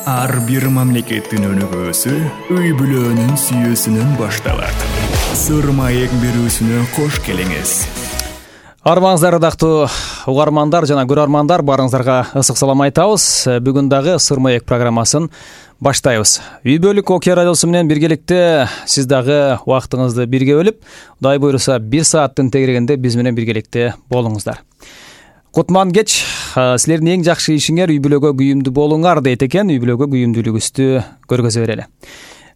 Ар бир мамлекеттин өнүгүүсү үй бүлөнүн сүйүүсүнөн башталат. Сыр маек берүүсүнө кош келиңиз. Армаңыздар ырдактуу угармандар жана көрөрмандар, барыңыздарга ысык салам айтабыз. Бүгүн дагы Сыр маек программасын баштайбыз. Үй бүлөлүк окуя радиосу менен биргеликте сиз дагы убактыңызды бирге бөлүп, Кудай буйруса 1 сааттын тегерегинде биз менен биргеликте болуңуздар. Кутман кеч, силердин эң жакшы ишиңер үй бүлөгө күйүмдүү болуңар дейт экен. Үй бүлөгө күйүмдүүлүгүбүздү көргөзө берели.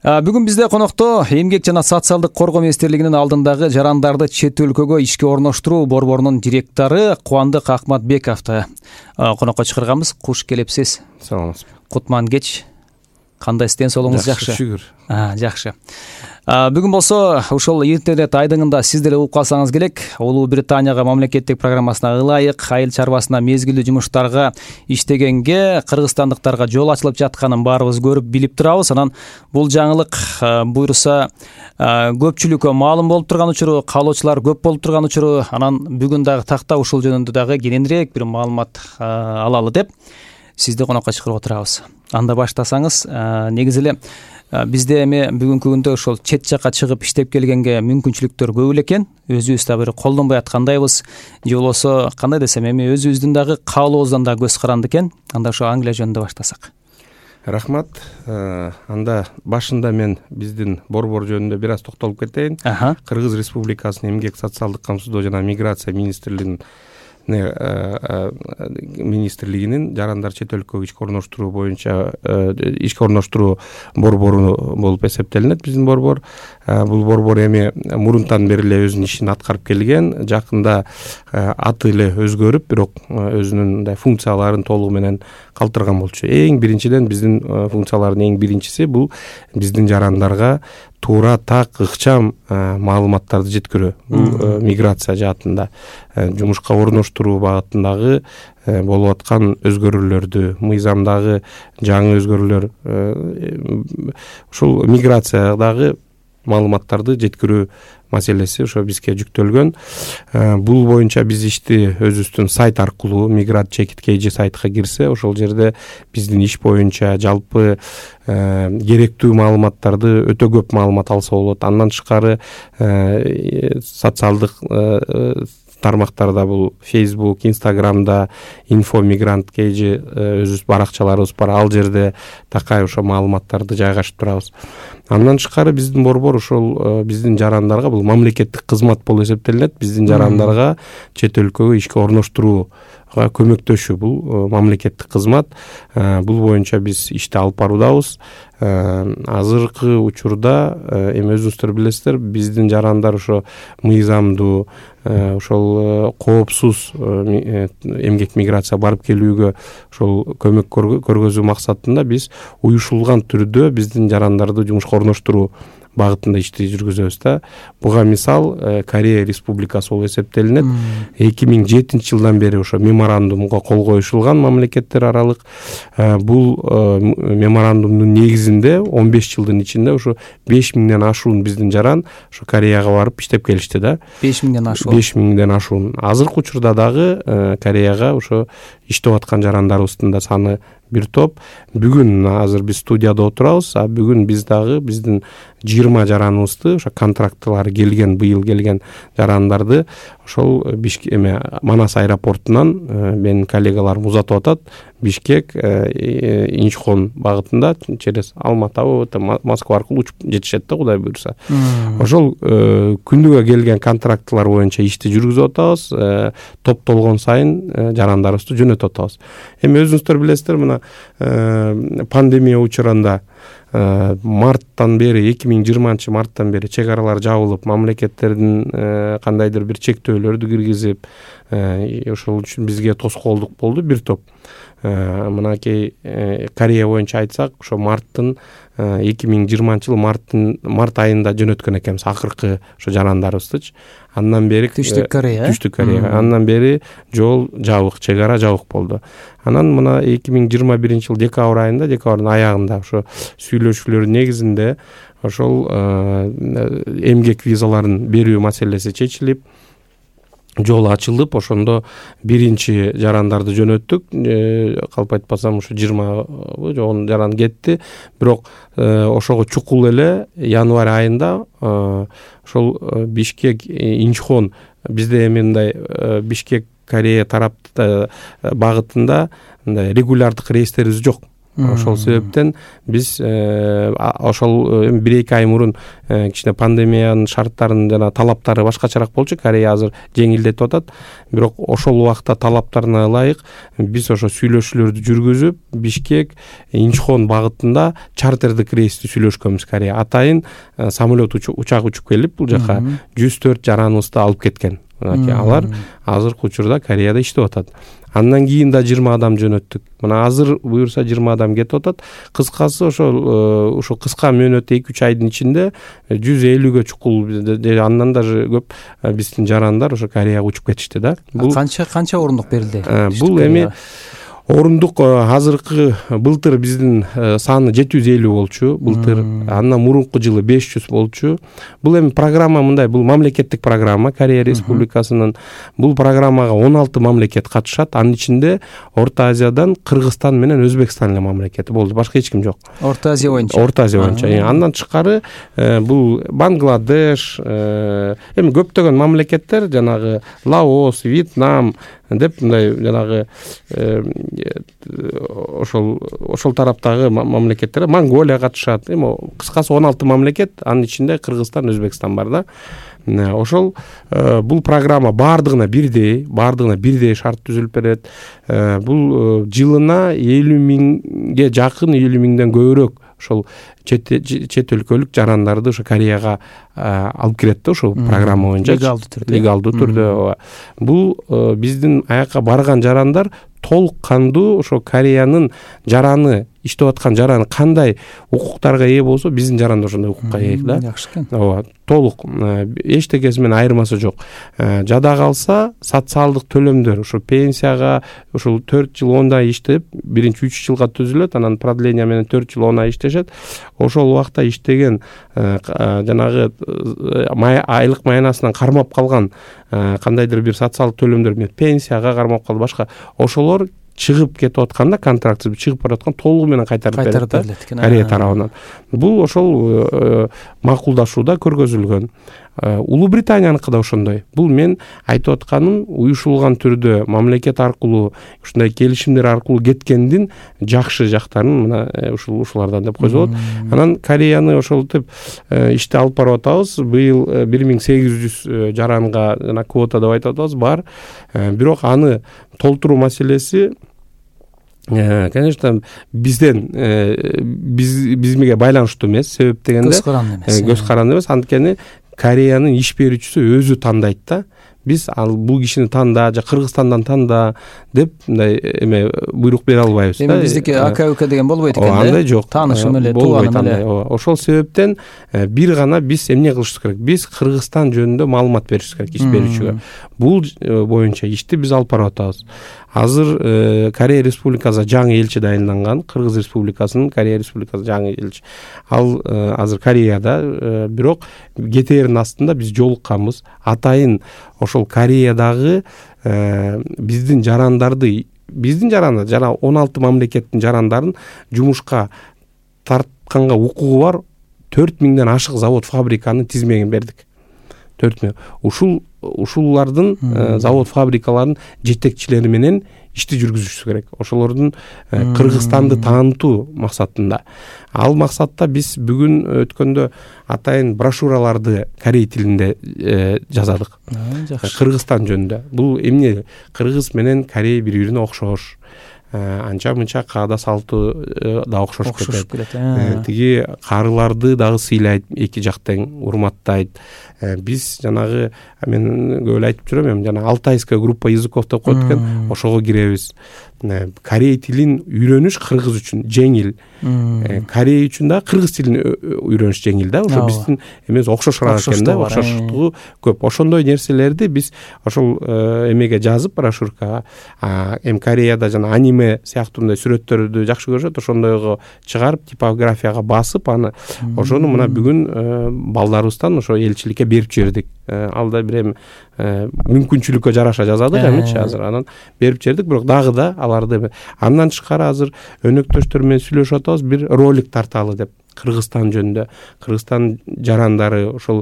Бүгүн бизде конокто Эмгек жана социалдык коргоо министрлигинин алдындагы жарандарды чет өлкөгө ишке орноштуруу борборунун директору Кубандык Акматбековду конокко чакырганбыз. Куш келипсиз. Саламатсызбы. Кутман кеч. Кандай ден соолугуңуз жакшы? Шүгүр. Жакшы. Бүгүн болсо ушул интернет айдыңында сиз деле угуп калсаңыз керек. Улуу Британияга мамлекеттик программасына ылайык айыл чарбасына мезгилдүү жумуштарга иштегенге кыргызстандыктарга жол ачылып жатканын баарыбыз көрүп билип турабыз. Анан бул жаңылык буйруса көпчүлүккө маалым болуп турган учуру, каалоочулар көп болуп турган учуру, анан бүгүн дагы такта ушул жөнүндө дагы кененирээк бир маалымат алалы деп сизди конокко чакырып отурабыз. Анда баштасаңыз, негизи эле бизде эми бүгүнкү күндө ошол чет жакка чыгып иштеп келгенге мүмкүнчүлүктөр көп эле экен. Өзүбүз да бир колдонбой аткандайбыз. Же болбосо кандай десем, эми өзүбүздүн дагы каалообуздан да көз каранды экен. Анда ошо Англия жөнүндө баштасак. Рахмат. Анда башында мен биздин борбор жөнүндө бир аз токтолуп кетейин. Кыргыз Республикасынын Эмгек социалдык камсыздоо жана миграция министрлигинин жарандар чет өлкөгө ишке орноштуруу боюнча ишке орноштуруу борбору болуп эсептелинет биздин борбор. Бул борбор эми мурунтан бери эле өзүнүн ишин аткарып келген. Жакында аты эле өзгөрүп, бирок өзүнүн мындай функцияларын толугу менен калтырган болчу. Эң биринчиден биздин функциялардын эң биринчиси бул биздин жарандарга туура, так, ыкчам маалыматтарды жеткирүү. Бул миграция жаатында жумушка орноштуруу багытындагы болуп аткан өзгөрүүлөрдү, мыйзамдагы жаңы өзгөрүүлөр, ушул миграциядагы маалыматтарды жеткирүү маселеси ошо бизге жүктөлгөн. Бул боюнча биз ишти өзүбүздүн сайт аркылуу migrant.kg сайтка кирсе, ошол жерде биздин иш боюнча жалпы керектүү маалыматтарды өтө көп маалымат алса болот. Андан тышкары социалдык тармактарда бул Facebook, Instagram'да info.migrant.kg өзүбүз баракчаларыбыз бар. Ал жерде такай ошо маалыматтарды жайгашып турабыз. Андан тышкары биздин борбор ошол биздин жарандарга бул мамлекеттик кызмат болуп эсептелинет. Биздин жарандарга чет өлкөгө ишке орноштурууга көмөктөшүү бул мамлекеттик кызмат. Бул боюнча биз ишти алып баруудабыз. Азыркы учурда эми өзүңүздөр билесиздер, биздин жарандар ошо мыйзамдуу, ошол коопсуз эмгек миграция барып келүүгө ошол көмөк көргөзүү максатында биз уюшулган түрдө биздин жарандарды жумушка орноштуруу багытында ишти жүргүзөбүз да. Буга мисал Корея Республикасы болуп эсептелинет. 2007-жылдан бери ошо меморандумга кол коюшулган мамлекеттер аралык. Бул меморандумдун негизинде 15 жылдын ичинде ошо 5000ден ашуун биздин жаран ошо Кореяга барып иштеп келишти да. 5000ден ашуун. 5000ден ашуун. Азыркы учурда дагы Кореяга ошо иштеп аткан жарандарыбыздын да саны бир топ. Бүгүн азыр биз студияда отурабыз. Бүгүн биз дагы биздин 20 жараныбызды ошо контрактлары келген, быйыл келген жарандарды ошол Манас аэропортунан менин коллегаларым узатып атат. Бишкек, Инчхон багытында через Алматы, Москва аркылуу учуп жетишет да, Кудай буйруса. Ошол күндүгө келген контрактлар боюнча ишти жүргүзүп атабыз. Топтолгон сайын жарандарыбызды жөнөтүп атабыз. Эми өзүңүздөр билесиздер, мына пандемия учурунда марттан бери 2020 марттан бери чек аралар жабылып, мамлекеттердин кандайдыр бир чектөөлөрдү киргизип, ошол үчүн бизге тоскоолдук болду бир топ. Мынакей Корея боюнча айтсак, ошо 2020 март айында жөнөткөн экенбиз акыркы ошо жарандарыбыздычы. Андан бери Түштүк Корея. Андан бери жол жабык, чек ара жабык болду. Анан мына 2021 жыл декабрдын аягында ошо сүйлөшүүлөр негизинде ошол эмгек визаларын берүү маселеси чечилип, жол ачылып, ошондо биринчи жарандарды жөнөттүк. Калп айтпасам ушу 20 жогон жаран кетти. Бирок ошого чукул эле январь айында ошол Бишкек Инчхон, бизде эми мындай Бишкек Корея тарап багытында мындай регулярдык рейстерибиз жок. Ошол себептен биз ошол 1-2 ай мурун кичине пандемиянын шарттарынын жана талаптары башкачараак болчу. Корея азыр жеңилдетип атат. Бирок ошол убакта талаптарына ылайык биз ошо сүйлөшүүлөрдү жүргүзүп, Бишкек Инчхон багытында чартердик рейсти сүйлөшкөнбүз. Корея атайын самолет учак учуп келип бул жака 104 жараныбызды алып кеткен. Алар азыркы учурда Кореяда иштеп атат. Андан кийин да 20 адам жөнөттүк. Мына азыр буюрса 20 адам кетип атат. Кыскасы ошо кыска мөөнөттө 2-3 айдын ичинде 150гө чукул, андан даже көп биздин жарандар ошо Кореяга учуп кетишти да. Бул канча орундук берилди? Бул эми орундук азыркы былтыр биздин саны 750 болчу, былтыр. Андан мурунку жылы 500 болчу. Бул эми программа мындай, бул мамлекеттик программа Корея Республикасынын. Бул программага 16 мамлекет катышат. Анын ичинде Орто Азиядан Кыргызстан менен Өзбекстан эле мамлекети болду. Башка эч ким жок. Орто Азия боюнча. Орто Азия боюнча. Андан тышкары бул Бангладеш, эми көптөгөн мамлекеттер, жанагы Лаос, Вьетнам деп мындай жанагы ошол тараптагы мамлекеттер, Монголия катышат. Эми кыскасы 16 мамлекет, анын ичинде Кыргызстан, Өзбекстан бар да. Ошол бул программа бардыгына бирдей шарт түзүлүп берет. Бул жылына 50 миңге жакын, 50 миңден көбүрөөк ошол чет өлкөлүк жарандарды ошо Кореяга алып кирет да, ошол программа боюнча легалдуу түрдө. Бул биздин аяка барган жарандар толук кандуу ошо Кореянын жараны, иштеп аткан жараны кандай укуктарга ээ болсо, биздин жаран да ошондой укукка ээ да. Жакшы экен. Ооба, толук эчтекеси менен айырмасы жок. Жада калса социалдык төлөмдөр, ошо пенсияга ошол 4 жыл 10 ай иштеп, биринчи 3 жылга түзүлөт, анан продление менен 4 жыл 10 ай иштешет. Ошол убакта иштеген жанагы айлык маянасынан кармап калган кандайдыр бир социалдык төлөмдөр, пенсияга кармап калды, башка ошолор чыгып кетип атканда, контрактсыз чыгып бараткан толугу менен кайтарып берилет Корея тарабынан. Бул ошол макулдашууда көргөзүлгөн. Улуу Британияныкы да ошондой. Бул мен айтып атканым уюшулган түрдө мамлекет аркылуу ушундай келишимдер аркылуу кеткендин жакшы жактарын мына ушулардан деп койсо болот. Анан Кореяны ошолтип ишти алып барып атабыз. Быйыл 1800 жаранга жана квота деп айтып атабыз бар. Бирок аны толтуруу маселеси конечно бизден бизмиге байланыштуу эмес. Себеп дегенде көз каранды эмес. Анткени Кореянын иш берүүчүсү өзү тандайт да. Биз ал бул кишини танда, же Кыргызстандан танда деп мындай эме буйрук бере албайбыз да. Эми биздики АК деген болбойт экен да. Андай жок. Таанышым эле, тууганым эле. Ошол себептен бир гана биз эмне кылышыбыз керек? Биз Кыргызстан жөнүндө маалымат беришибиз керек иш берүүчүгө. Бул боюнча ишти биз алып барып атабыз. Азыр Корея Республикасына жаңы элчи дайынданган, Кыргыз Республикасынын Корея Республикасына жаңы элчи. Ал азыр Кореяда, бирок кетээрин астында биз жолукканбыз. Атайын ошол Кореядагы биздин жарандарды, жана 16 мамлекеттин жарандарын жумушка тартканга укугу бар 4000ден ашык завод, фабриканын тизмегин бердик. 4000. Ушулардын завод, фабрикалардын жетекчилери менен ишти жүргүзүшүбүз керек. Ошолордун Кыргызстанды таанытуу максатында. Ал максатта биз бүгүн өткөндө атайын брошюраларды корей тилинде жазадык. Кыргызстан жөнүндө. Бул эмне? Кыргыз менен Корей бири-бирине окшош. Анча мынча каада салты да окшош кетет. Тиги карыларды дагы сыйлайт, эки жак тең урматтайт. Биз жанагы мен көп эле айтып жүрөм, жана алтайская группа языков деп коет экен, ошого киребиз. Корей тилин үйрөнүш кыргыз үчүн жеңил. Корей үчүн да кыргыз тилин үйрөнүш жеңил да. Ошо биздин эмес окшошураак экен да, окшоштугу көп. Ошондой нерселерди биз ошол эмеге жазып, брошюркага, Кореяда жана аниме аниме сыяктуу мындай сүрөттөрдү жакшы көрүшөт, ошондойго чыгарып типографияга басып аны ошону мына бүгүн балдарыбыздан ошо элчиликке берип жибердик. Ал да бир эми мүмкүнчүлүккө жараша жазадык эмичи азыр, анан берип жибердик. Бирок дагы да аларды андан тышкары азыр өнөктөштөр менен сүйлөшүп атабыз, бир ролик тарталы деп. Кыргызстан жөнүндө, Кыргызстан жарандары ошол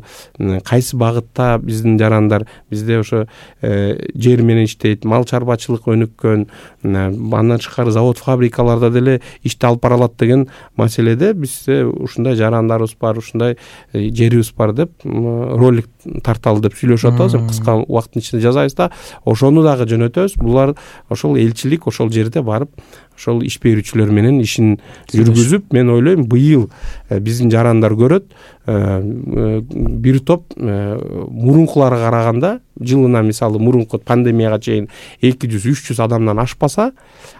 кайсы багытта биздин жарандар, бизде ошо жер менен иштейт, мал чарбачылык өнүккөн, андан тышкары завод фабрикаларда деле ишти алып бара алат деген маселеде бизде ушундай жарандарыбыз бар, ушундай жерибиз бар деп ролик тарталы деп сүйлөшүп атабыз. Кыска убакыттын ичинде жасайбыз да, ошону дагы жөнөтөбүз. Булар ошол элчилик ошол жерде барып ошол иш берүүчүлөр менен ишин жүргүзүп, мен ойлойм быйыл биздин жарандар көрөт, бир топ мурункуларга караганда жылына мисалы мурунку пандемияга чейин 200-300 адамдан ашпаса,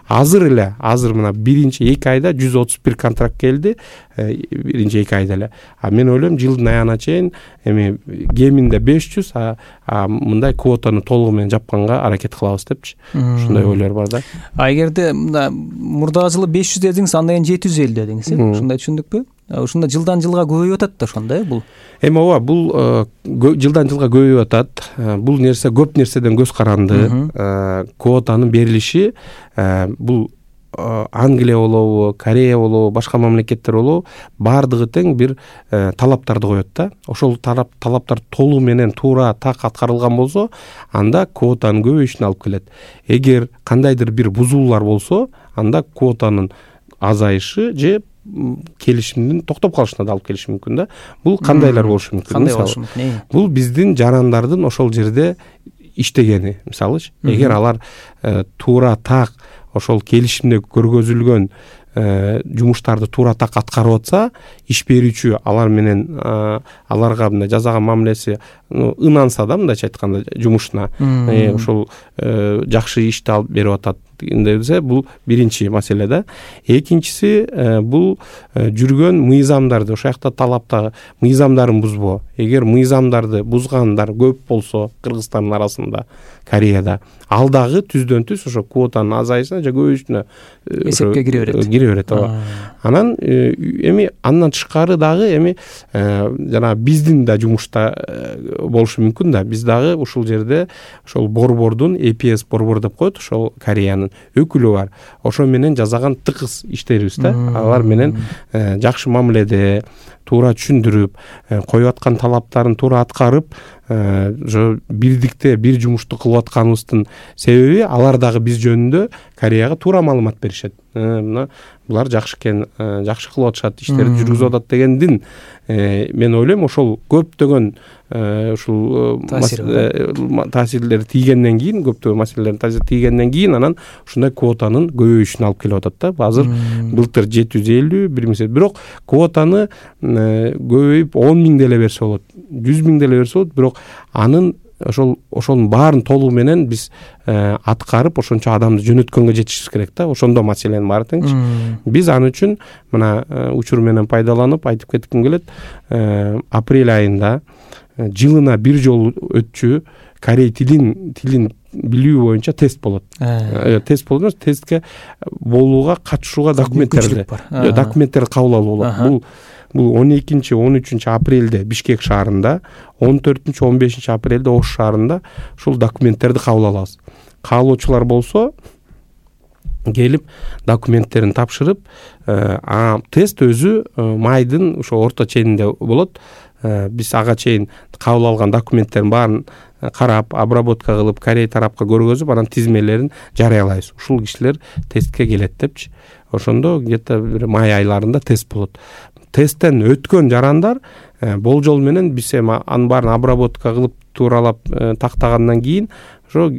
азыр мына биринчи 2 айда 131 контракт келди, биринчи 2 айда эле. Мен ойлойм жылдын аягына чейин эми кеминде 500, мындай квотаны толугу менен жапканга аракет кылабыз депчи. Ушундай ойлор бар да. Эгерде мурдагы жылы 500 дедиңиз, андан кийин 750 дедиңиз, ушундай түшүндүкпү? Ушунда жылдан жылга көбөйүп атат да ошондой бул. Эми ооба, бул жылдан жылга көбөйүп атат. Бул нерсе көп нерседен көз каранды. Квотанын берилиши бул Англия болобу, Корея болобу, башка мамлекеттер болобу, бардыгы тең бир талаптарды коет да. Ошол талаптар толугу менен туура так аткарылган болсо, анда квотанын көбөйүшүнө алып келет. Эгер кандайдыр бир бузуулар болсо, анда квотанын азайышы же келишимдин токтоп калышына да алып келиши мүмкүн да. Бул кандайлар болушу мүмкүн? Кандай болушу мүмкүн? Бул биздин жарандардын ошол жерде иштегени, мисалычы. Эгер алар туура так ошол келишимде көргөзүлгөн жумуштарды туура так аткарып атса, иш берүүчү алар менен аларга мындай жасаган мамилеси ынанса да, мындайча айтканда жумушуна ошол жакшы ишти алып берип атат десе, бул биринчи маселе да. Экинчиси бул жүргөн мыйзамдарды, ошол жакта талапта мыйзамдарын бузбоо. Эгер мыйзамдарды бузгандар көп болсо Кыргызстандын арасында, Кореяда, ал дагы түздөн түз ошо квотанын азайышына же көбөйүшүнө эсепке кире берет. Анан эми андан тышкары дагы эми жана биздин да жумушта болушу мүмкүн да. Биз дагы ушул жерде ошол борбордун EPS борбор деп коет, ошол Кореянын өкүлү бар. Ошо менен жасаган тыгыз иштерибиз да. Алар менен жакшы мамиледе, туура түшүндүрүп, коюп аткан талаптарын туура аткарып, ошо бирдикте бир жумушту кылып атканыбыздын себеби алар дагы биз жөнүндө Кореяга туура маалымат беришет. Мына булар жакшы экен, жакшы кылып атышат, иштерди жүргүзүп атат дегендин мен ойлойм ошол көптөгөн ушул таасирлер тийгенден кийин, көптөгөн маселелердин таасири тийгенден кийин анан ушундай квотанын көбөйүшүнө алып келип атат да. Азыр былтыр 750, 1000, бирок квотаны көбөйүп 10 000 деле берсе болот, 100 000 деле берсе болот, бирок анын ошонун баарын толугу менен биз аткарып ошончо адамды жөнөткөнгө жетишибиз керек да. Ошондо маселенин баары теңчи. Биз аны үчүн мына учур менен пайдаланып айтып кетким келет. Апрель айында жылына бир жолу өтчү корей тилин билүү боюнча тест болот. Тест болот, тестке болууга катышууга документтерди кабыл алуу болот. Бул 12-13 апрелде Бишкек шаарында, 14-15 апрелде Ош шаарында ушул документтерди кабыл алабыз. Каалоочулар болсо келип документтерин тапшырып, тест өзү майдын ошо орто ченинде болот. Биз ага чейин кабыл алган документтердин баарын карап, обработка кылып, Корей тарапка көргөзүп, анан тизмелерин жарыялайбыз. Ушул кишилер тестке келет депчи. Ошондо где-то бир май айларында тест болот. Тесттен өткөн жарандар болжол менен биз эми анын баарын обработка кылып тууралап тактагандан кийин ошо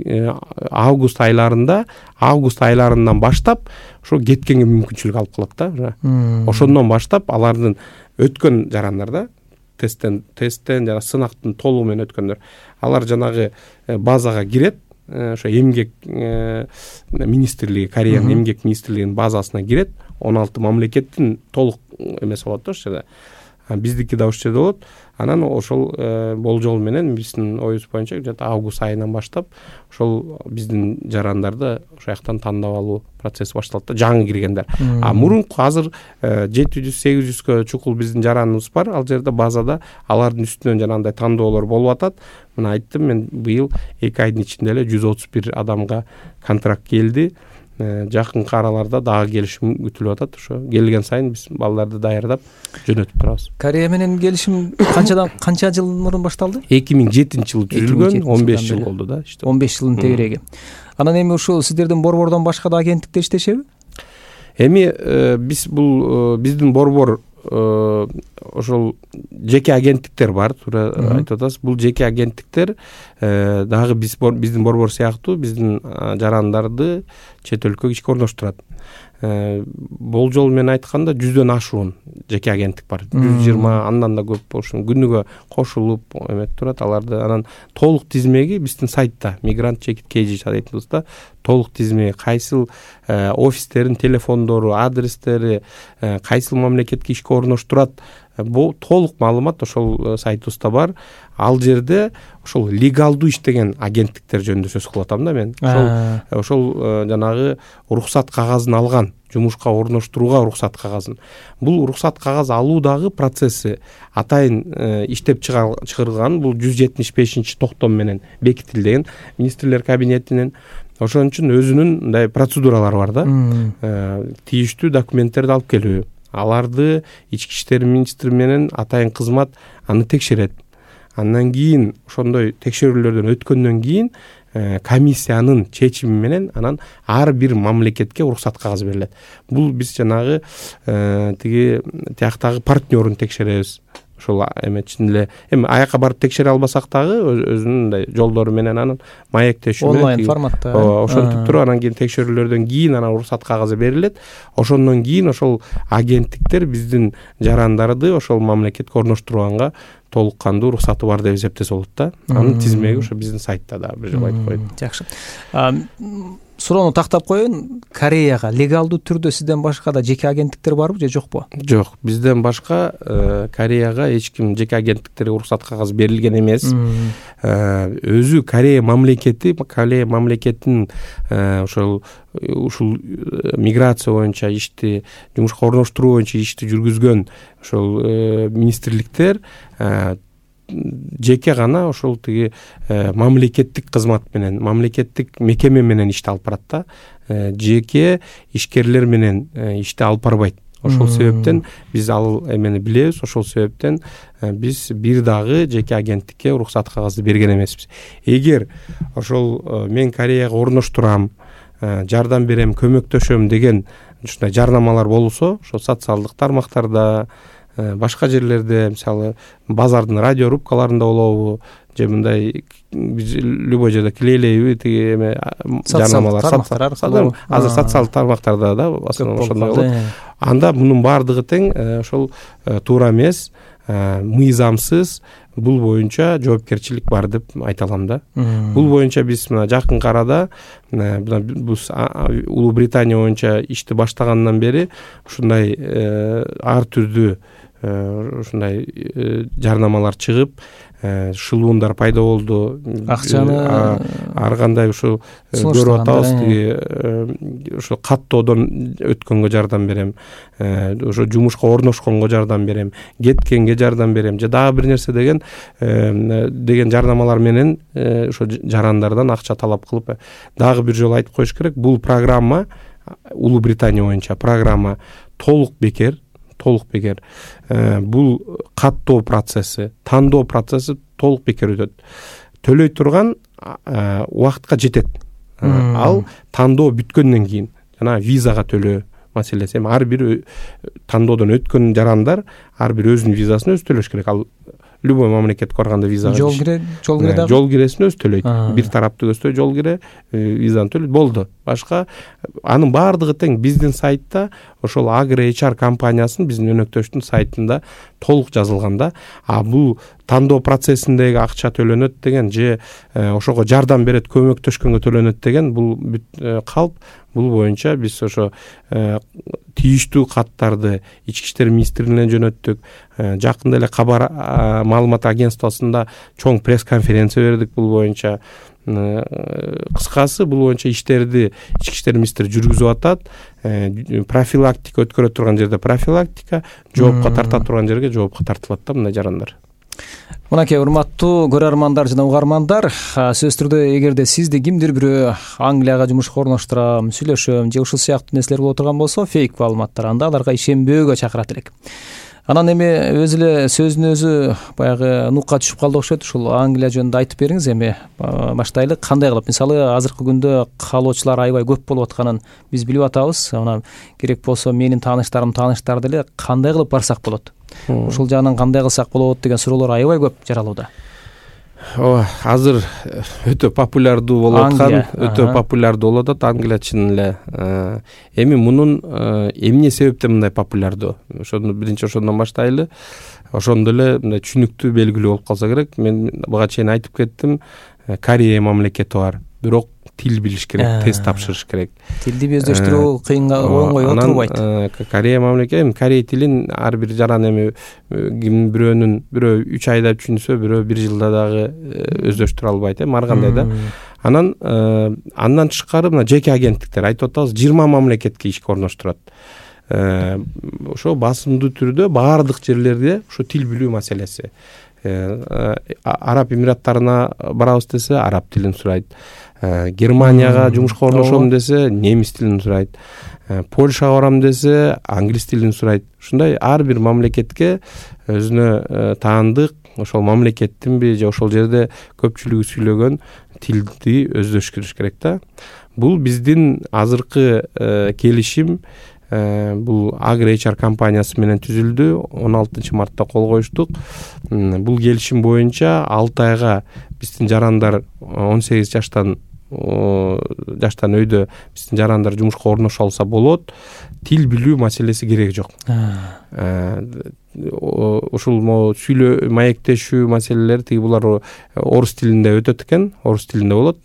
август айларынан баштап ошо кеткенге мүмкүнчүлүк алып калат да. Ошондон баштап алардын өткөн жарандар да, тесттен жана сынактын толугу менен өткөндөр, алар жанагы базага кирет, ошо эмгек министрлиги, Кореянын эмгек министрлигинин базасына кирет. 16 мамлекеттин толук эмеси болот да ошол жерде. биздики да ушул жерде болот. Анан ошол болжол менен биздин оюбуз боюнча где-то август айынан баштап ошол биздин жарандарды ошол жактан тандап алуу процесси башталат да, жаңы киргендер. Мурунку азыр 700-800гө чукул биздин жараныбыз бар. Ал жерде базада алардын үстүнөн жанагындай тандоолор болуп атат. Мына айттым мен, быйыл 2 айдын ичинде эле 131 адамга контракт келди. Жакынкы араларда дагы келишим күтүлүп атат. Ошо келген сайын биз балдарды даярдап жөнөтүп турабыз. Корея менен келишим канча жыл мурун башталды? 2007-жылы түзүлгөн, 15 жыл болду да. 15 жылдын тегереги. Анан эми ушул сиздердин борбордон башка да агенттиктер иштешеби? Эми биздин борбор ошол жеке агенттиктер бар, туура айтып атасыз. Бул жеке агенттиктер дагы биздин борбор сыяктуу биздин жарандарды чет өлкөгө ишке орноштурат. Болжол менен айтканда 100дөн ашуун жеке агенттик бар. 120, андан да көп болушу, күнүгө кошулуп эметип турат. Аларды анан толук тизмеги биздин сайтта Migrant Check It KG сайтыбызда толук тизмеги, кайсыл офистердин телефондору, адрестери, кайсыл мамлекетке ишке орноштурат, бул толук маалымат ошол сайтыбызда бар. Ал жерде ошол легалдуу иштеген агенттиктер жөнүндө сөз кылып атам да мен. Ошол жанагы уруксат кагазын алган, жумушка орноштурууга уруксат кагазын. Бул уруксат кагаз алуу дагы процесси атайын иштеп чыгарылган. Бул 175-токтом менен бекитилген министрлер кабинетинен. Ошон үчүн өзүнүн мындай процедуралары бар да. Тийиштүү документтерди алып келүү. Аларды ички иштер министри менен атайын кызмат аны текшерет. Андан кийин ошондой текшерүүлөрдөн өткөндөн кийин комиссиянын чечими менен анан ар бир мамлекетке уруксат кагазы берилет. Бул биз жанагы тияктагы партнерун текшеребиз. Ошол эметчин эле эми аяка барып текшере албасак дагы өзүнүн мындай жолдору менен анын маектешүү онлайн форматта ошентип туруп анан кийин текшерүүлөрдөн кийин анан уруксат кагазы берилет. Ошондон кийин ошол агенттиктер биздин жарандарды ошол мамлекетке орноштурганга толук кандуу уруксаты бар деп эсептесе болот да. Анын тизмеги ошо биздин сайтта да бир жолу айтып коеюн. Жакшы. Суроону тактап коеюн. Кореяга легалдуу түрдө сизден башка да жеке агенттиктер барбы же жокпу? Жок, бизден башка Кореяга эч ким жеке агенттиктерге уруксат кагазы берилген эмес. Өзү Корея мамлекетинин ушул миграция боюнча ишти, жумушка орноштуруу боюнча ишти жүргүзгөн ошол министрликтер жеке гана ошол тиги мамлекеттик кызмат менен, мамлекеттик мекеме менен ишти алып барат да. Жеке ишкерлер менен ишти алып барбайт. Ошол себептен биз ал эмени билебиз. Ошол себептен биз бир дагы жеке агенттикке уруксат кагазды берген эмеспиз. Эгер ошол мен Кореяга орноштурам, жардам берем, көмөктөшөм деген ушундай жарнамалар болсо, ошол социалдык тармактарда, башка жерлерде, мисалы базардын радио рубкаларында болобу, же мындай любой жерде клейлейби тиги эме жарнамалар азыр социалдык тармактарда да ошондой болот. Анда мунун баардыгы тең ошол туура эмес, мыйзамсыз, бул боюнча жоопкерчилик бар деп айта алам да. Бул боюнча биз мына жакынкы арада Улуу Британия боюнча ишти баштагандан бери ушундай ар түрдүү ушундай жарнамалар чыгып, шылуундар пайда болду. Акчаны ар кандай ушул көрүп атабыз, ушул каттоодон өткөнгө жардам берем, ошо жумушка орношконго жардам берем, кеткенге жардам берем, же дагы бир нерсе деген жарнамалар менен ошо жарандардан акча талап кылып, дагы бир жолу айтып коюш керек, бул программа Улуу Британия боюнча программа толук бекер. Бул каттоо процесси, тандоо процесси толук бекер өтөт. Төлөй турган убакытка жетет. Ал тандоо бүткөндөн кийин жана визага төлөө маселеси. Эми ар бир тандоодон өткөн жарандар ар бир өзүнүн визасын өзү төлөш керек. Ал любой мамлекетке барганда визага жол киресин өзү төлөйт. Бир тараптуу көздөй жол кире, визаны төлөйт, болду. Башка анын баардыгы тең биздин сайтта ошол AgriHR компаниясынын биздин өнөктөштүн сайтында толук жазылган да. А бул тандоо процессиндеги акча төлөнөт деген же ошого жардам берет, көмөктөшкөнгө төлөнөт деген бул калп. Бул боюнча биз ошо тийиштүү каттарды Ички иштер министрлигине жөнөттүк. Жакында эле Кабар маалымат агентствосунда чоң пресс-конференция бердик бул боюнча. Кыскасы бул боюнча иштерди Ички иштер министри жүргүзүп атат. Профилактика өткөрө турган жерде профилактика, жоопко тарта турган жерге жоопко тартылат да мындай жарандар. Мынакей урматтуу көрөрмандар жана угармандар, сөзсүз түрдө эгерде сизди кимдир бирөө Англияга жумушка орноштурам, сүйлөшөм же ушул сыяктуу нерселер боло турган болсо, фейк маалыматтар, анда аларга ишенбөөгө чакырат элек. Анан эми өзү эле сөзүнүн өзү баягы нукка түшүп калды окшойт. Ушул Англия жөнүндө айтып бериңиз. Эми баштайлы. Кандай кылып? Мисалы, азыркы күндө каалоочулар аябай көп болуп атканын биз билип атабыз. Анан керек болсо менин тааныштар деле кандай кылып барсак болот? Ушул жагынан кандай кылсак болот деген суроолор аябай көп жаралууда. Ооба, азыр өтө популярдуу болуп аткан, өтө популярдуу болуп атат Англия чын эле. Эми мунун эмне себептен мындай популярдуу? Ошону биринчи ошондон баштайлы. Ошондо эле мындай түшүнүктүү белгилүү болуп калса керек. Мен буга чейин айтып кеттим. Корея мамлекети бар. Бирок тил билиш керек, тест тапшырыш керек. Тилди өздөштүрүү кыйынга оңой отурбайт. Корея мамлекети, корей тилин ар бир жаран эми бирөө 3 айда түшүнсө, бирөө 1 жылда дагы өздөштүрө албайт, ар кандай да. Андан тышкары мына жеке агенттиктер айтып атабыз, 20 мамлекетке ишке орноштурат. Ошо басымдуу түрдө баардык жерлерде ошо тил билүү маселеси. Араб Эмираттарына барабыз десе, араб тилин сурайт. Германияга жумушка орношом десе, немис тилин сурайт. Польшага барам десе, англис тилин сурайт. Ушундай ар бир мамлекетке өзүнө таандык ошол мамлекеттинби же ошол жерде көпчүлүгү сүйлөгөн тилди өздөштүрүш керек да. Бул биздин азыркы келишим бул AgriHR компаниясы менен түзүлдү. 16 мартта кол коюштук. Бул келишим боюнча 6 айга биздин жарандар 18 жаштан өйдө биздин жарандар жумушка орношо алса болот. Тил билүү маселеси кереги жок. Ушул сүйлөө, маектешүү маселелери тиги булар орус тилинде өтөт экен, орус тилинде болот.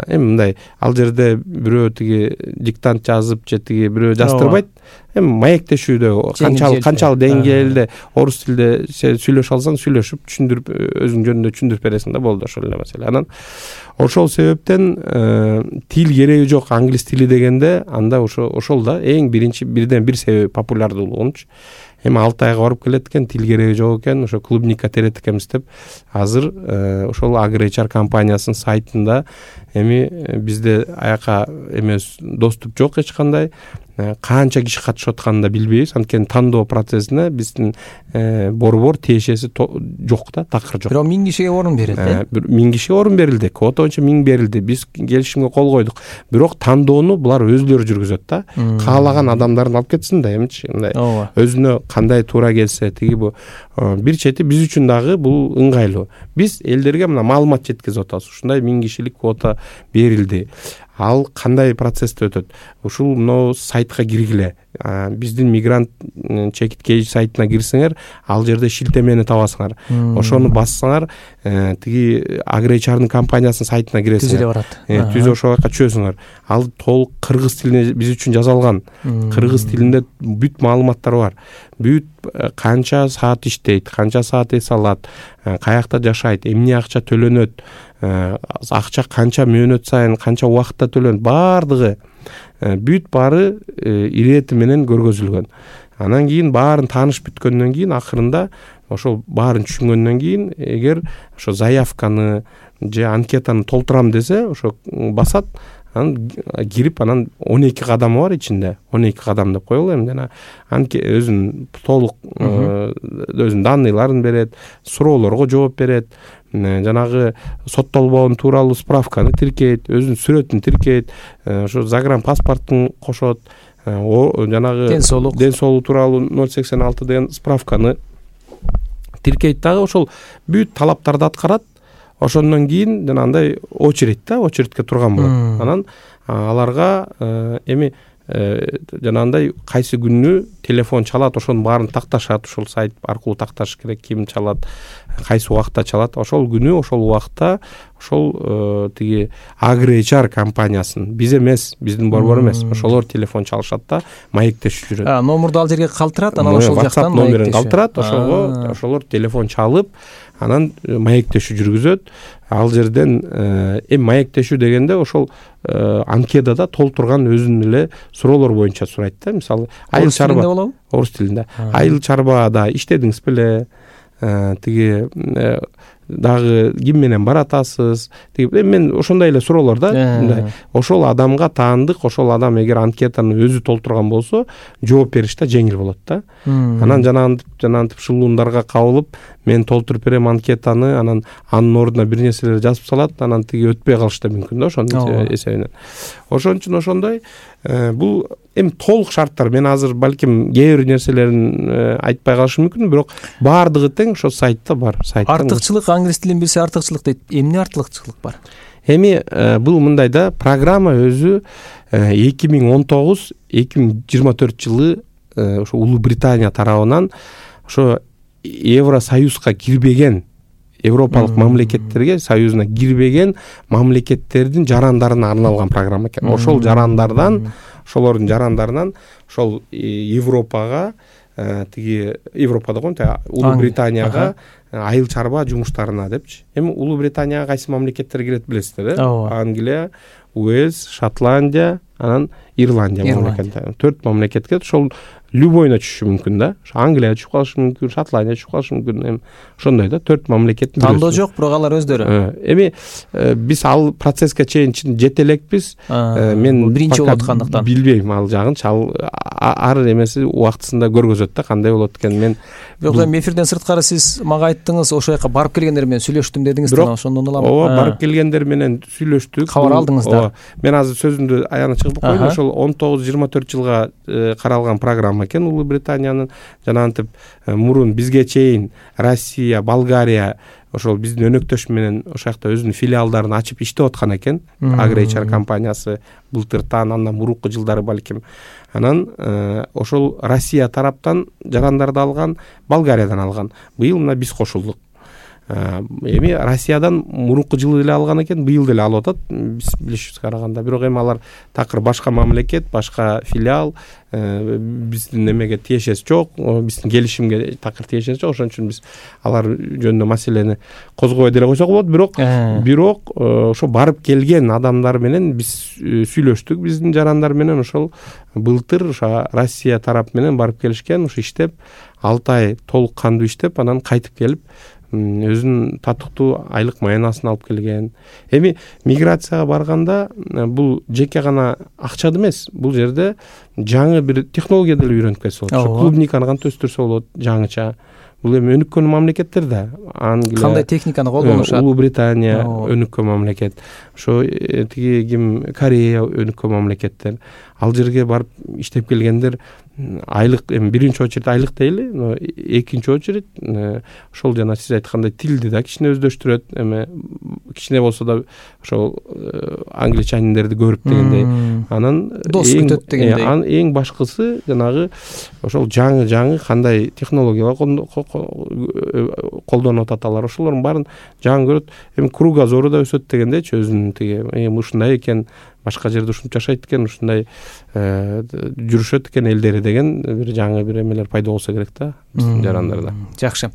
Эми мындай ал жерде бирөө тиги диктант жазып же тиги бирөө жаздырбайт. Эми маектешүүдө канчалык деңгээлде орус тилде сүйлөшө алсаң, сүйлөшүп түшүндүрүп өзүң жөнүндө түшүндүрүп бересиң да, болду ошол эле маселе. Анан ошол себептен тил кереги жок англис тили дегенде анда ошол да эң бирден бир себеби популярдуулугунчу. Эми 6 айга барып келет экен, тил кереги жок экен, ошо клубникка терет экенбиз деп азыр ошол AgriHR компаниясынын сайтында эми бизде аяка эмес доступ жок эч кандай. Канча киши катышып атканын да билбейбиз. Анткени тандоо процессине биздин борбор тиешеси жок да, такыр жок. Бирок 1000 кишиге орун берилди. 1000 кишиге орун берилди. Квота боюнча 1000 берилди. Биз келишимге кол койдук. Бирок тандоону булар өзүлөрү жүргүзөт да. Каалаган адамдарын алып кетсин да, эмичи мындай өзүнө кандай туура келсе, тиги бу бир чети биз үчүн дагы бул ыңгайлуу. Биз элдерге мына маалымат жеткизип атабыз. Ушундай 1000 кишилик квота берилди. Ал кандай процессте өтөт? Ушул мына сайтка киргиле. Биздин мигрант чекит кейж сайтына кирсеңер, ал жерде шилтемени табасыңар. Ошону бассаңар, тиги AgriHR'нын компаниясынын сайтына киресиңер. Түзүлө барат. Түз ошол жака чөзүңөр. Ал толук кыргыз тилине биз үчүн жазалган. Кыргыз тилинде бүт маалыматтар бар. Бүт канча саат иштейт, канча саат эс алат, каякта жашайт, эмне акча төлөнөт, акча канча мөөнөт сайын, канча убакытта төлөнөт, баардыгы бүт баары ирети менен көргөзүлгөн. Анан кийин баарын тааныш бүткөндөн кийин акырында ошол баарын түшүнгөндөн кийин эгер ошо заявканы же анкетаны толтурам десе, ошо басат. Анан кирип, анан 12 кадамы бар ичинде. 12 кадам деп коелу эми, жана өзүнүн толук өзүнүн данныйларын берет, суроолорго жооп берет, жанагы соттолбоон тууралуу справканы тиркейт, өзүнүн сүрөтүн тиркейт, ошо загранпаспорттун кошот, жанагы ден соолук тууралуу 086 деген справканы тиркейт дагы, ошол бүт талаптарды аткарат. Ошондон кийин жанагындай очередьке турган болот. Анан аларга эми жанагындай кайсы күнү телефон чалат, ошонун баарын такташат, ошол сайт аркылуу такташ керек, ким чалат, кайсы убакта чалат. Ошол күнү ошол убакта ошол тиги AgriHR компаниясын, биз эмес, биздин борбор эмес, ошолор телефон чалышат да маектешип жүрөт. Номурду ал жерге калтырат, анан ошол жактан номерин калтырат, ошолор телефон чалып, анан маектешүү жүргүзөт. Ал жерден эми маектешүү дегенде ошол анкетада толтурган өзүнүн эле суроолор боюнча сурайт да. Мисалы, айыл чарба болобу? Орус тилинде. Айыл чарбада иштедиңиз беле? Тиги дагы ким менен баратасыз? Тиги мен ошондой эле суроолор да. Ошол адамга таандык, ошол адам эгер анкетаны өзү толтурган болсо, жооп бериш да жеңил болот да. Анан жанагынтип шылуундарга кабылып, мен толтуруп берем анкетаны, анан анын ордуна бир нерселер жазып салат, анан тиги өтпөй калышы да мүмкүн да ошонун эсебинен. Ошон үчүн ошондой бул эми толук шарттар, мен азыр балким кээ бир нерселерин айтпай калышым мүмкүн, бирок баардыгы тең ошо сайтта бар. Артыкчылык, англис тилин билсе артыкчылык дейт. Эмне артыкчылык бар? Эми бул мындай да, программа өзү 2019-2024 жылы ошо Улуу Британия тарабынан ошо Евросоюзга кирбеген европалык мамлекеттерге, союзуна кирбеген мамлекеттердин жарандарына арналган программа экен. Ошол жарандардан, ошолордун жарандарынан ошол Европага, тиги Европада го, Улуу Британияга айыл чарба жумуштарына депчи. Эми Улуу Британияга кайсы мамлекеттер кирет билесиздер, Англия, Уэльс, Шотландия, анан Ирландия мамлекеттери. 4 мамлекетке ошол любойуна түшүшү мүмкүн да. Англия түшүп калышы мүмкүн, Шотландия түшүп калышы мүмкүн. Эми ошондой да, 4 мамлекеттин тандоо жок, бирок алар өздөрү. Эми биз ал процесске чейин жете элекпиз. Мен биринчи болуп аткандыктан билбейм ал жагын. Ар эмеси убактысында көргөзөт да, кандай болот экен. Мен бирок эми эфирден сырткары сиз мага айттыңыз, ошол жака барып келгендер менен сүйлөштүм дедиңиз да, ошондон улам. Ооба, барып келгендер менен сүйлөштүк. Кабар алдыңыз да. Мен азыр сөзүмдү аягына чыгып коеюн. Ошол 19-24 жылга каралган программа экен Улуу Британиянын. Жанагынтип мурун бизге чейин Россия, Болгария ошол биздин өнөктөш менен ошол жакта өзүнүн филиалдарын ачып иштеп аткан экен. AgriHR компаниясы былтыртан, андан мурунку жылдары балким. Анан ошол Россия тараптан жарандарды алган, Болгариядан алган. Быйыл мына биз кошулдук. Эми Россиядан мурунку жылы эле алган экен, быйыл деле алып атат, биз билишибизге караганда. Бирок эми алар такыр башка мамлекет, башка филиал, биздин эмеге тиешеси жок, биздин келишимге такыр тиешеси жок. Ошон үчүн биз алар жөнүндө маселени козгобой деле койсок болот. Бирок ошо барып келген адамдар менен биз сүйлөштүк, биздин жарандар менен. Ошол былтыр ошо Россия тарап менен барып келишкен, ошо иштеп 6 ай толук кандуу иштеп, анан кайтып келип өзүнүн татыктуу айлык маянасын алып келген. Эми миграцияга барганда бул жеке гана акча эмес, бул жерде жаңы бир технология деле үйрөнүп келсе болот. Ошо клубниканы кантип өстүрсө болот жаңыча. Бул эми өнүккөн мамлекеттер да. Англия, кандай техниканы колдонушат? Улуу Британия өнүккөн мамлекет. Ошо тиги Корея өнүккөн мамлекеттер. Ал жерге барып иштеп келгендер айлык, эми биринчи очередь айлык дейли, экинчи очередь ошол жана сиз айткандай тилди да кичине өздөштүрөт. Эми кичине болсо да ошол англичаниндерди көрүп дегендей. Анан дос күтөт дегендей. Эң башкысы жанагы ошол жаңы кандай технологиялар колдонуп атат алар. Ошолордун баарын жаңы көрөт. Эми кругозору да өсөт дегендейчи, өзүнүн тиги ушундай экен, башка жерде ушинтип жашайт экен, ушундай жүрүшөт экен элдери деген бир жаңы бир эмелер пайда болсо керек да биздин жарандарда. Жакшы.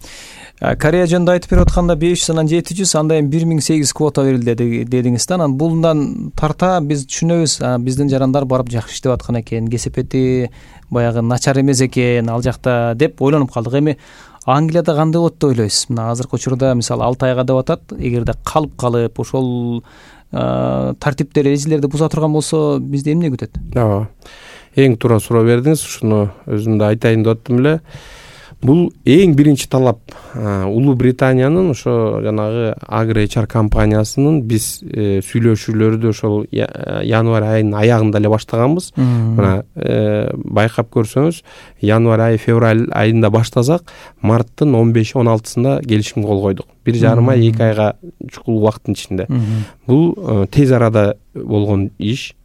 Корея жөнүндө айтып берип атканда 500 анан 700, андай 1008 квота берилди дедиңиз да. Анан булдан тарта биз түшүнөбүз, биздин жарандар барып жакшы иштеп аткан экен, кесепети баягы начар эмес экен ал жакта деп ойлонуп калдык. Эми Англияда кандай болот деп ойлойсуз? Мына азыркы учурда мисалы 6 айга деп атат, эгерде калып ошол тартиптер, эжелерди буза турган болсо бизди эмне күтөт? Ооба. Эң туура суроо бердиңиз, ушуну өзүм да айтайын деп аттым эле. Бул эң биринчи талап Улуу Британиянын ошо жанагы AgriHR компаниясынын биз сүйлөшүүлөрдү ошол январь айынын аягында эле баштаганбыз. Мына байкап көрсөңүз, январь айы, февраль айында баштасак, марттын 15-16-сында келишимге кол койдук. 1,5 ай, 2 айга чукул убакыттын ичинде. Бул тез арада болгон иш.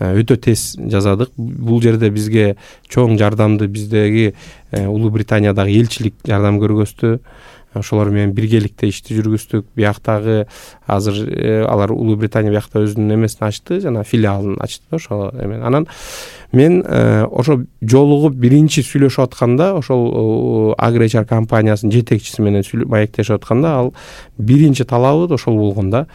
өтө тез жасадык. Бул жерде бизге чоң жардамды биздеги Улуу Британиядагы элчилик жардам көргөздү. Ошолор менен биргеликте ишти жүргүздүк. Бияктагы азыр алар Улуу Британия биякта өзүнүн эмесин ачты, жана филиалын ачты ошол эме. Анан мен ошо жолугуп биринчи сүйлөшүп атканда, ошол AgriHR компаниясынын жетекчиси менен маектешип атканда, ал биринчи талабы ошол болгон да.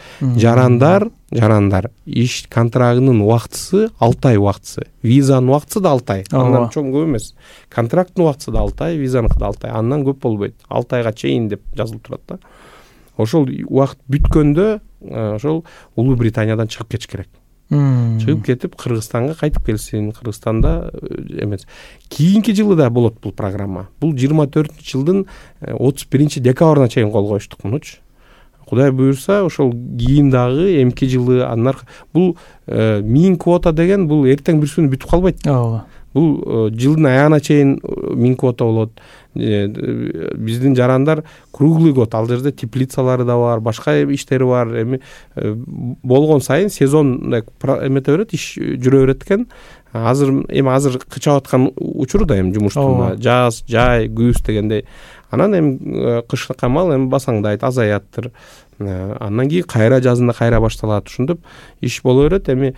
Жарандар иш контрагынын убактысы 6 ай убактысы, визанын убактысы да 6 ай. Андан чоң көп эмес. Контракттын убактысы да 6 ай, визаныкы да 6 ай. Андан көп болбойт. 6 айга чейин деп жазылып турат да. Ошол убакыт бүткөндө ошол Улуу Британиядан чыгып кетиш керек. Чыгып кетип Кыргызстанга кайтып келсин. Кыргызстанда эмес. Кийинки жылы да болот бул программа. Бул 24-жылдын 31-декабрына чейин кол коюштук мунучу. Кудай буюрса, ошол кийин дагы эмки жылы анар бул 1000 квота деген бул эртең бир күнү бүтүп калбайт. Бул жылдын аягына чейин 1000 квота болот. Биздин жарандар круглый год, ал жерде теплицалары да бар, башка иштери бар. Эми болгон сайын сезон эмете берет, иш жүрө берет экен. Азыр кычап аткан учуру да эми жумуштун жаз, жай, күз дегендей. Анан эми кышка камал эми басаңдайт, азаяттыр. Андан кийин кайра жазында кайра башталат. Ушинтип иш боло берет. Эми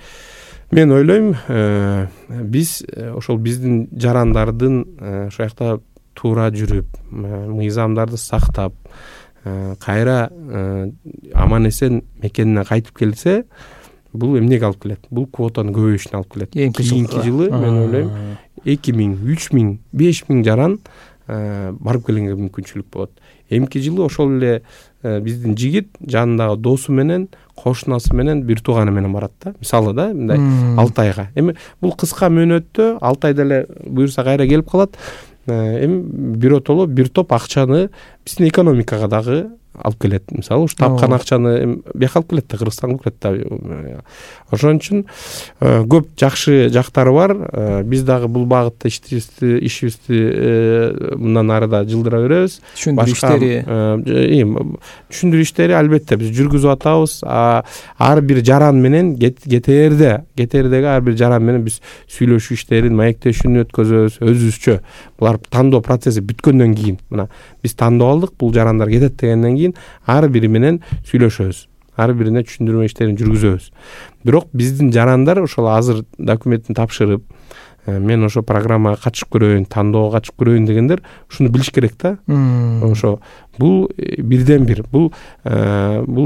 мен ойлойм, биз ошол биздин жарандардын ошол жакта туура жүрүп, мыйзамдарды сактап, кайра аман эсен мекенине кайтып келсе, бул эмнеге алып келет? Бул квотанын көбөйүшүнө алып келет. Кийинки жылы мен ойлойм 2000, 3000, 5000 жаран барып келгенге мүмкүнчүлүк болот. Эмки жылы ошол эле биздин жигит жанындагы досу менен, кошунасы менен, бир тууганы менен барат да. Мисалы да, мындай 6 айга. Эми бул кыска мөөнөттө 6 айда эле буюрса кайра келип калат. Эми биротоло бир топ акчаны биздин экономикага дагы алып келет. Мисалы, ушу тапкан акчаны бияка алып келет да, Кыргызстанга алып келет да. Ошон үчүн көп жакшы жактары бар. Биз дагы бул багытта ишибизди мындан ары да жылдыра беребиз. Түшүндүрүү иштери албетте биз жүргүзүп атабыз. Ар бир жаран менен кетердеги ар бир жаран менен биз сүйлөшүү иштерин, маектешүүнү өткөзөбүз өзүбүзчө. Булар тандоо процесси бүткөндөн кийин, мына биз тандоо алдык, бул жарандар кетет дегенден кийин ар бири менен сүйлөшөбүз. Ар бирине түшүндүрмө иштерин жүргүзөбүз. Бирок биздин жарандар ошол азыр документин тапшырып, мен ошо программага катышып көрөйүн, тандоого катышып көрөйүн дегендер ушуну билиш керек да. Ошо бул бирден бир. Бул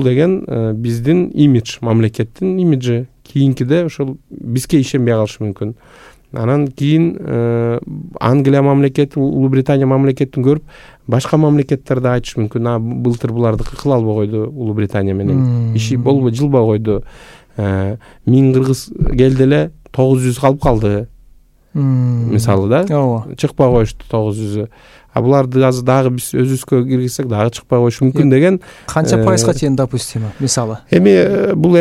деген биздин имидж, мамлекеттин имиджи. Кийинкиде ошол бизге ишенбей калышы мүмкүн. Анан кийин Англия мамлекети, Улуу Британия мамлекетин көрүп, башка мамлекеттер да айтышы мүмкүн. Былтыр булардыкы кыла албай койду, Улуу Британия менен. Иши болбой, жылбай койду. 1000 кыргыз келди эле, 900 калып калды. Мисалы да. Чыкпай коюшту 900. Буларды азыр дагы биз өзүбүзгө киргизсек дагы чыкпай коюшу мүмкүн деген. Канча пайызга чейин допустимо, мисалы? Эми бул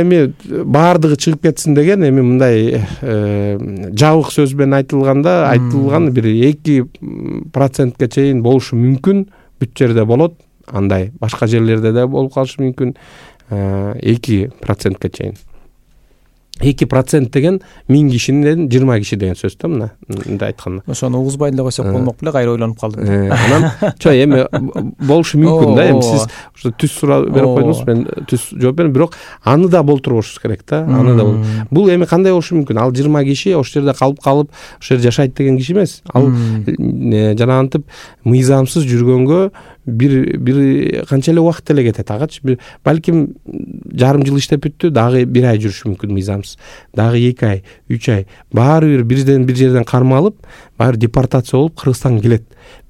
баардыгы чыгып кетсин деген мындай жабык сөз менен айтылган бир 2%га чейин болушу мүмкүн. Бүт жерде болот, андай башка жерлерде да болуп калышы мүмкүн. 2%га чейин. 2% деген 1000 кишинен 20 киши деген сөз да, мындай айтканда. Ошону угузбай эле койсок болмок беле, кайра ойлонуп калдым. Анан эми болушу мүмкүн да, эми сиз ошо түз суроо берип койдуңуз, мен түз жооп бердим, бирок аны да болтурбошубуз керек да. Аны да бул эми кандай болушу мүмкүн? Ал 20 киши ошол жерде калып, ошол жерде жашайт деген киши эмес. Ал жанагынтип мыйзамсыз жүргөнгө бир канча эле убакыт эле кетет агачы. Балким жарым жыл иштеп бүттү, дагы 1 ай жүрүшү мүмкүн мыйзамсыз. Дагы 2 ай, 3 ай. Баары бир жерден кармалып, баары депортация болуп Кыргызстанга келет.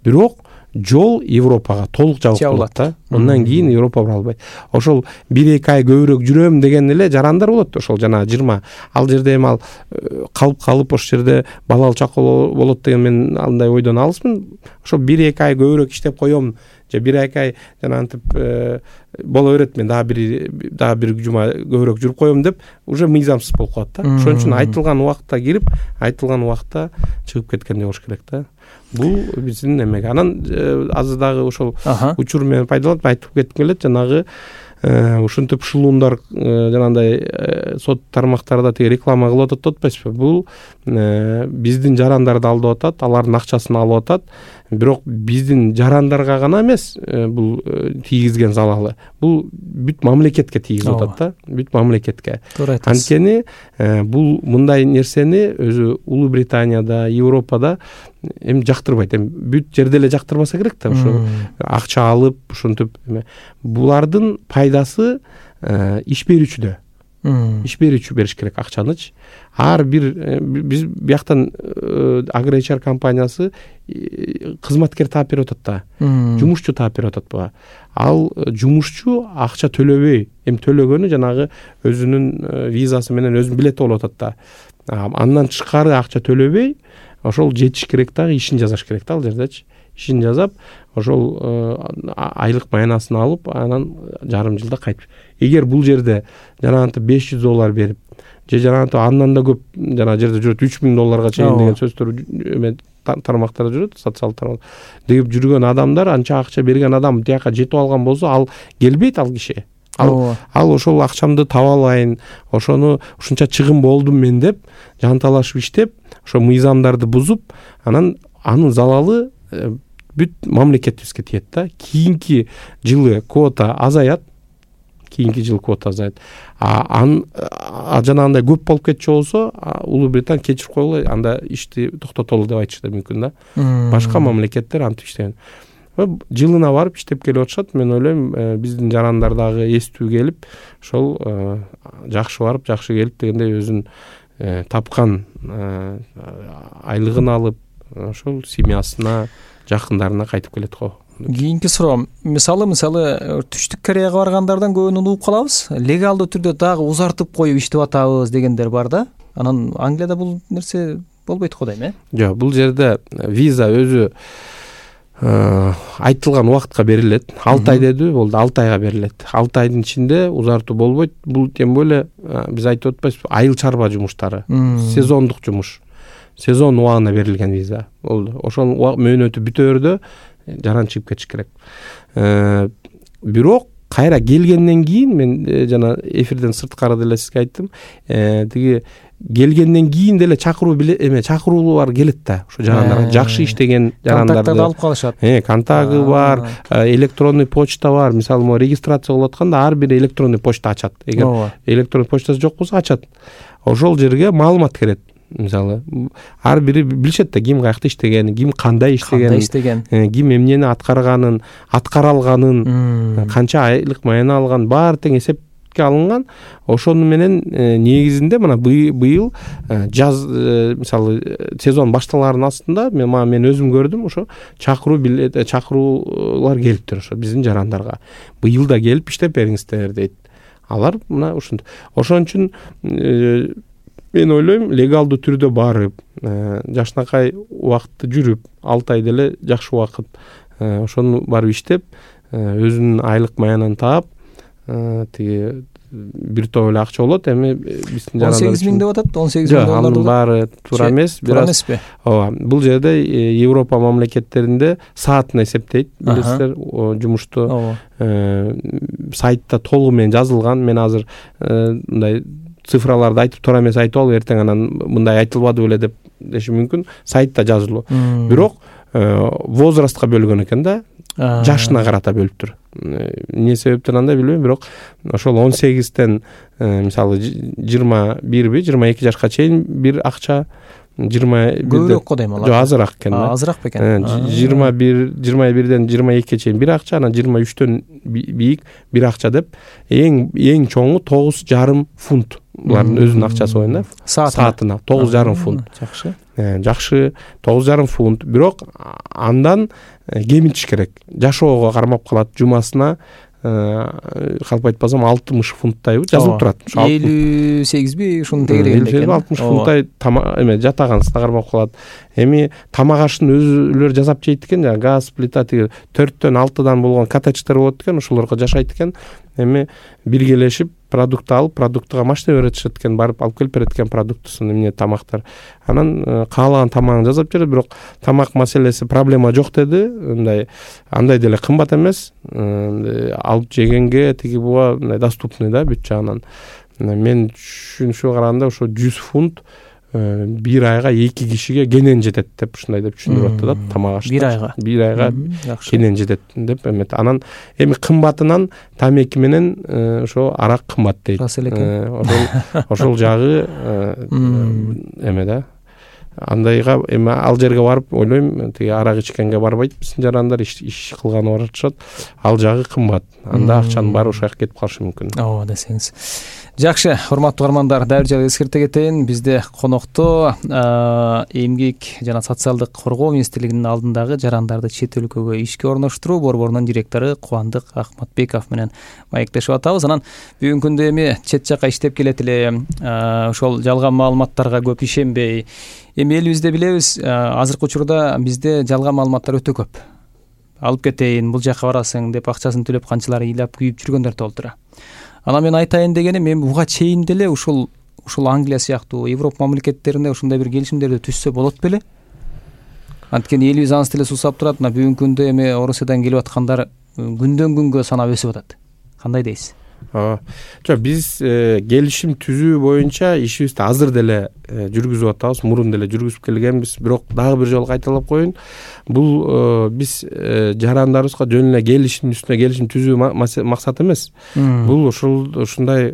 Бирок жол Европага толук жабык болот да. Андан кийин Европа бара албайт. Ошол 1-2 ай көбүрөөк жүрөм деген эле жарандар болот. Ошол жана 20. Ал жерде эми ал калып ошол жерде балалуу чакал болот деген мен андай ойдон алысмын. Ошол 1-2 ай көбүрөөк иштеп коем, же 1-2 ай жанагынтип боло берет, мен дагы бир жума көбүрөөк жүрүп коем деп уже мыйзамсыз болуп калат да. Ошон үчүн айтылган убакытта кирип, айтылган убакытта чыгып кеткендей болуш керек да. Бул биздин эмеге. Анан азыр дагы ошол учур менен пайдаланып айтып кетким келет, жанагы ушинтип ушулундар жанагындай сот тармактарда тиги реклама кылып атат деп атпайсызбы? Бул биздин жарандарды алдап атат, алардын акчасын алып атат. Бирок биздин жарандарга гана эмес бул тийгизген залалы. Бул бүт мамлекетке тийгизип атат да, бүт мамлекетке. Анткени бул мындай нерсени өзү Улуу Британияда, Европада эми жактырбайт. Эми бүт жерде эле жактырбаса керек да, ошо акча алып, ушинтип булардын пайдасы иш берүүчүдө. Иш берүүчү бериш керек акчанычы. Ар бир биз бияктан Агречар компаниясы кызматкер таап берип атат да. Жумушчу таап берип атат буга. Ал жумушчу акча төлөбөй, эми төлөгөнү жанагы өзүнүн визасы менен өзүнүн билети болуп атат да. Андан тышкары акча төлөбөй, ошол жетиш керек дагы, ишин жазаш керек да ал жердечи. Ишин жазап, ошол айлык маянасын алып, анан жарым жылда кайтып. Эгер бул жерде жанагынтип $500 берип, же жанагынтип андан да көп жанагы жерде жүрөт $3000 чейин деген сөздөр тармактарда жүрөт, социалдык тармак деп жүргөн адамдар, анча акча берген адам тияка жетип алган болсо, ал келбейт ал киши. Ал ошол акчамды таба алайын, ошону ушунча чыгым болдум мен деп жанталашып иштеп, ошо мыйзамдарды бузуп, анан анын залалы бүт мамлекетибизге тиет да. Кийинки жылы квота азаят. Жанагындай көп болуп кетчү болсо, Улуу Британия кечирип койгула, анда ишти токтотолу деп айтышы да мүмкүн да. Башка мамлекеттер антип иштеген. Жылына барып иштеп келип атышат. Мен ойлойм, биздин жарандар дагы эстүү келип, ошол жакшы барып, жакшы келип дегендей өзүн тапкан айлыгын алып, ошол семьясына, жакындарына кайтып келет го. Кийинки суроо, мисалы Түштүк Кореяга баргандардан көбүн угуп калабыз. Легалдуу түрдө дагы узартып коюп иштеп атабыз дегендер бар да. Анан Англияда бул нерсе болбойт го дейм, Жок, бул жерде виза өзү айтылган убакытка берилет. 6 ай деди, болду, 6 айга берилет. 6 айдын ичинде узартуу болбойт. Бул тем более биз айтып атпайбызбы, айыл чарба жумуштары, сезондук жумуш. Сезон убагына берилген виза болду. Ошол мөөнөтү бүтөөрдө жаран чыгып кетиш керек. Бирок кайра келгенден кийин, мен жана эфирден сырткары деле сизге айттым, тиги келгенден кийин деле чакыруулар келет да. Ошо жарандарга жакшы иштеген жарандарды контакттарды алып калышат. Контагы бар, электронный почта бар. Мисалы, могу регистрация болуп атканда ар бир электронный почта ачат. Эгер электронный почтасы жок болсо ачат. Ошол жерге маалымат кирет. Мисалы, ар бири билишет да, ким каякта иштеген, ким кандай иштеген, ким эмнени аткарганын, аткара алганын, канча айлык маяна алган, баары тең эсепке алынган. Ошону менен негизинде мына быйыл жаз, мисалы, сезон башталарынын астында мен өзүм көрдүм, ошо чакыруулар келиптир ошо биздин жарандарга. Быйыл да келип иштеп бериңиздер дейт. Алар мына ушундай. Ошон үчүн мен ойлойм, легалдуу түрдө барып, жакшынакай убакытты жүрүп, 6 ай деле жакшы убакыт, ошону барып иштеп, өзүнүн айлык маянын таап, тиги бир топ эле акча болот. Эми биздин жарандар 18 000 деп атат, 18 000 доллар. Анын баары туура эмес, бираз. Ооба, бул жерде Европа мамлекеттеринде саатына эсептейт, билесиздер, жумушту. Сайтта толугу менен жазылган. Мен азыр мындай цифраларды айтып туура эмес айтып алып, эртең анан мындай айтылбады беле деп деши мүмкүн. Сайтта жазылуу. Бирок возрастка бөлгөн экен да, жашына карата бөлүптүр. Эмне себептен андай билбейм, бирок ошол 18тен мисалы 21 22 жашка чейин бир акча, 21 көбүрөөк го дейм алар. Жок, азыраак экен да. Азыраак бекен. 21ден 22 чейин бир акча, анан 23төн бийик бир акча деп, эң чоңу 9,5 фунт. Булардын өзүнүн акчасы боюнда. Саатына 9,5 фунт. Жакшы. Жакшы, 9,5 фунт. Бирок андан кемитиш керек. Жашоого кармап калат, жумасына калп айтпасам 60 фунттайбы жазылып турат. 58би ушунун тегерегинде экен. 60 фунттай эме жатаганысына кармап калат. Эми тамак ашын өзүлөр жасап жейт экен, жана газ плита тиги 4төн 6дан болгон коттедждер болот экен, ошолорго жашайт экен. Эми биргелешип продукт алып продуктуга машина беретишет экен, барып алып келип берет экен продуктусун, эмне тамактар. Анан каалаган тамагын жасап берет, бирок тамак маселеси проблема жок деди. Андай деле кымбат эмес, алып жегенге тиги буга мындай доступный да бүт жагынан. Мен түшүнүшүгө караганда ошо 100 фунт бир айга 2 кишиге кенен жетет деп ушундай деп түшүндүрүп атты да, тамак ашты. Бир айга кенен жетет деп эмет. Анан эми кымбатынан тамеки менен ошо арак кымбат дейт. Ошол жагы эме да. Андайга эми ал жерге барып ойлойм, тиги арак ичкенге барбайт биздин жарандар, иш кылганы барышат. Ал жагы кымбат. Анда акчанын баары ошол жака кетип калышы мүмкүн. Ооба десеңиз. Жакшы, урматтуу угармандар, дайыр жагы эскерте кетейин. Бизде конокто эмгек жана социалдык коргоо министрлигинин алдындагы жарандарды чет өлкөгө ишке орноштуруу борборунун директору Кубандык Ахматбеков менен маектешип атабыз. Анан бүгүнкү күндө эми чет жака иштеп келет эле, ошол жалган маалыматтарга көп ишенбей, эми элибизде билебиз, азыркы учурда бизде жалган маалыматтар өтө көп. Алып кетейин, бул жака барасың деп акчасын төлөп канчалар ыйлап күйүп жүргөндөр толтура. Анан мен айтайын дегеним, эми буга чейин деле ушул Англия сыяктуу Европа мамлекеттеринде ушундай бир келишимдерди түзсө болот беле? Анткени элибиз аныс деле сусап турат. Мына бүгүнкү күндө эми Орусиядан келип аткандар күндөн күнгө санап өсүп атат. Кандай дейсиз? Жок, биз келишим түзүү боюнча ишибизди азыр деле жүргүзүп атабыз, мурун деле жүргүзүп келгенбиз. Бирок дагы бир жолу кайталап коеюн, бул биз жарандарыбызга жөн эле келишим үстүнө келишим түзүү максат эмес. Бул ушундай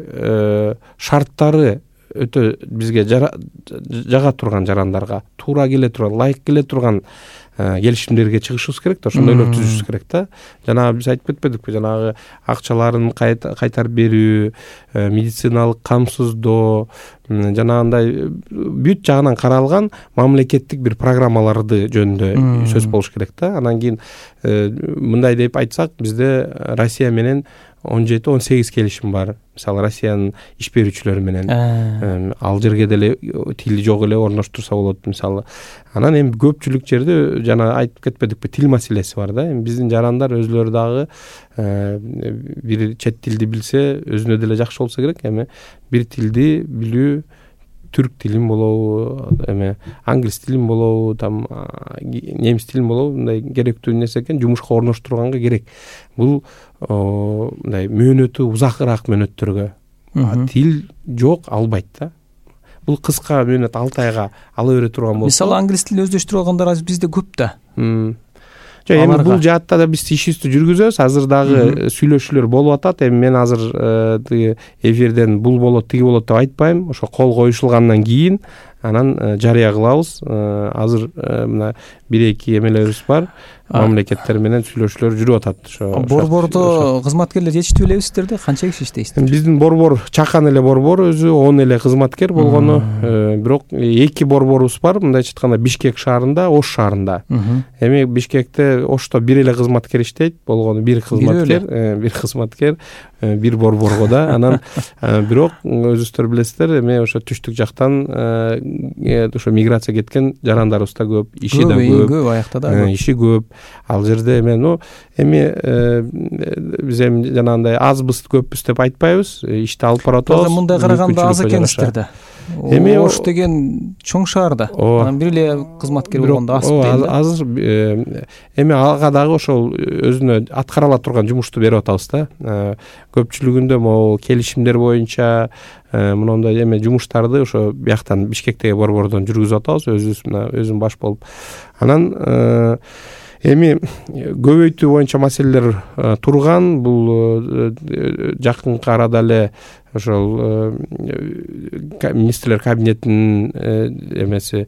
шарттары өтө бизге жага турган жарандарга туура келе турган, лайык келе турган келишимдерге чыгышыбыз керек да, ошондойлор түзүшүбүз керек да. Жанагы биз айтып кетпедикпи, жанагы акчаларын кайтарып берүү, медициналык камсыздоо, жанагындай бүт жагынан каралган мамлекеттик бир программаларды жөнүндө сөз болуш керек да. Анан кийин мындай деп айтсак, бизде Россия менен 17-18 келишим бар. Мисалы Россиянын иш берүүчүлөрү менен ал жерге деле тили жок эле орноштурса болот мисалы. Анан эми көпчүлүк жерде жана айтып кетпедикпи, тил маселеси бар да. Эми биздин жарандар өзлөрү дагы бир чет тилди билсе өзүнө деле жакшы болсо керек. Эми бир тилди билүү, түрк тилин болобу, эме англис тилин болобу, там немис тилин болобу, мындай керектүү нерсе экен, жумушка орноштурганга керек. Бул мындай мөөнөтү узакыраак мөөнөттөргө. Тил жок албайт да. Бул кыска мөөнөт 6 айга ала бере турган болсо. Мисалы англис тилин өздөштүрүп алгандар бизде көп да. Жок, эми бул жаатта да биз ишибизди жүргүзөбүз. Азыр дагы сүйлөшүүлөр болуп атат. Эми мен азыр тиги эфирден бул болот, тиги болот деп айтпайм. Ошо кол коюшулгандан кийин анан жарыя кылабыз. Азыр мына 1-2 эмелерибиз бар. Мамлекеттер менен сүйлөшүүлөр жүрүп атат. Ошо борбордо кызматкерлер жетиштүү белебиздерди? Канча киши иштейсиздер? Биздин борбор чакан эле борбор, өзү 10 эле кызматкер болгону. Бирок 2 борборубуз бар. Мындайча айтканда Бишкек шаарында, Ош шаарында. Эми Бишкекте, Ошто 1 эле кызматкер иштейт, болгону 1 кызматкер, 1 борборго да. Анан бирок өзүңүздөр билесиздер, эми ошо түштүк жактан ошо миграция кеткен жарандарыбыз да көп, иши да көп, аякта да иши көп. Ал жерде эми биз эми жанагындай азбыз, көппүз деп айтпайбыз, ишти алып барып атабыз. Мындай караганда аз экенсиздер да. Эми Ош деген чоң шаар да. Анан бир эле кызматкер болгондо аз дейм да. Азыр эми ага дагы ошол өзүнө аткарыла турган жумушту берип атабыз да. Көпчүлүгүндө могу келишимдер боюнча мындай эме жумуштарды ошо бияктан Бишкектеги борбордон жүргүзүп атабыз, өзүм баш болуп. Анан эми көбөйтүү боюнча маселелер турган. Бул жакынкы арада эле ошол министрлер кабинетинин эмеси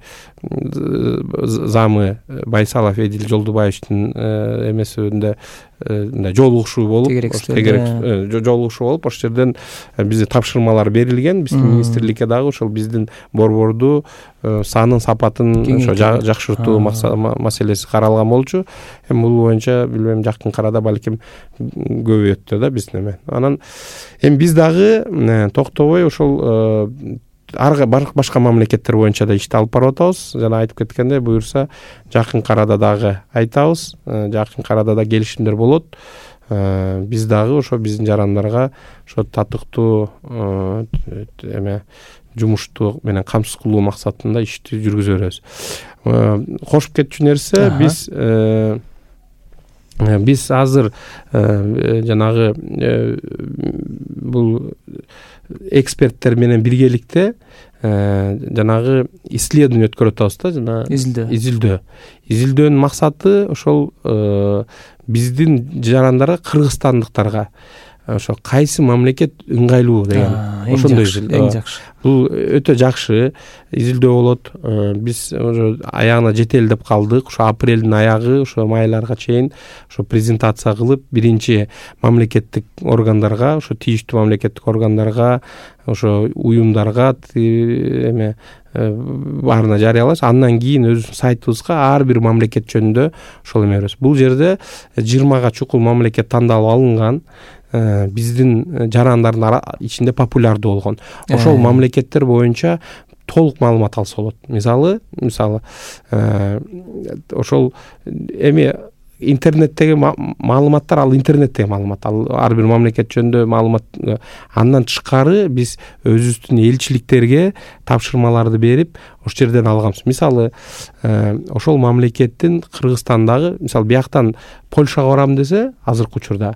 замы Байсалов Эдил Жолдубаевичтин эмесинде жолугушуу болуп, жолугушуу болуп, ошол жерден бизге тапшырмалар берилген. Биздин министрликке дагы ошол биздин борборду санын, сапатын ошо жакшыртуу маселеси каралган болчу. Эми бул боюнча билбейм, жакынкы арада балким көбөйөт да биздин эме. Анан эми биз дагы токтобой ошол башка мамлекеттер боюнча да ишти алып барып атабыз. Жана айтып кеткендей, буюрса жакынкы арада дагы айтабыз. Жакынкы арада да келишимдер болот. биз дагы ошо биздин жарандарга ошо татыктуу эме жумушту менен камсыз кылуу максатында ишти жүргүзө беребиз. Кошуп кетчү нерсе, биз азыр жанагы бул эксперттер менен биргеликте жанагы исследование өткөрүп атабыз да, жана изилдөөнүн максаты ошол биздин жарандарга, кыргызстандыктарга ошо кайсы мамлекет ыңгайлуу деген ошондой эң жакшы. Бул өтө жакшы изилдөө болот. Биз уже аягына жетели деп калдык. Ошо апрелдин аягы, ошо майларга чейин ошо презентация кылып, биринчи мамлекеттик органдарга, ошо тийиштүү мамлекеттик органдарга, ошо уюмдарга эме баарына жарыялайбыз. Андан кийин өзүбүздүн сайтыбызга ар бир мамлекет жөнүндө ошол эме беребиз. Бул жерде 20га чукул мамлекет тандалып алынган. Биздин жарандардын ичинде популярдуу болгон ошол мамлекеттер боюнча толук маалымат алса болот. Мисалы ошол эми интернеттеги маалыматтар, ал интернеттеги маалымат, ал ар бир мамлекет жөнүндө маалымат. Андан тышкары биз өзүбүздүн элчиликтерге тапшырмаларды берип, ошол жерден алганбыз. Мисалы ошол мамлекеттин Кыргызстандагы, мисалы бияктан Польшага барам десе, азыркы учурда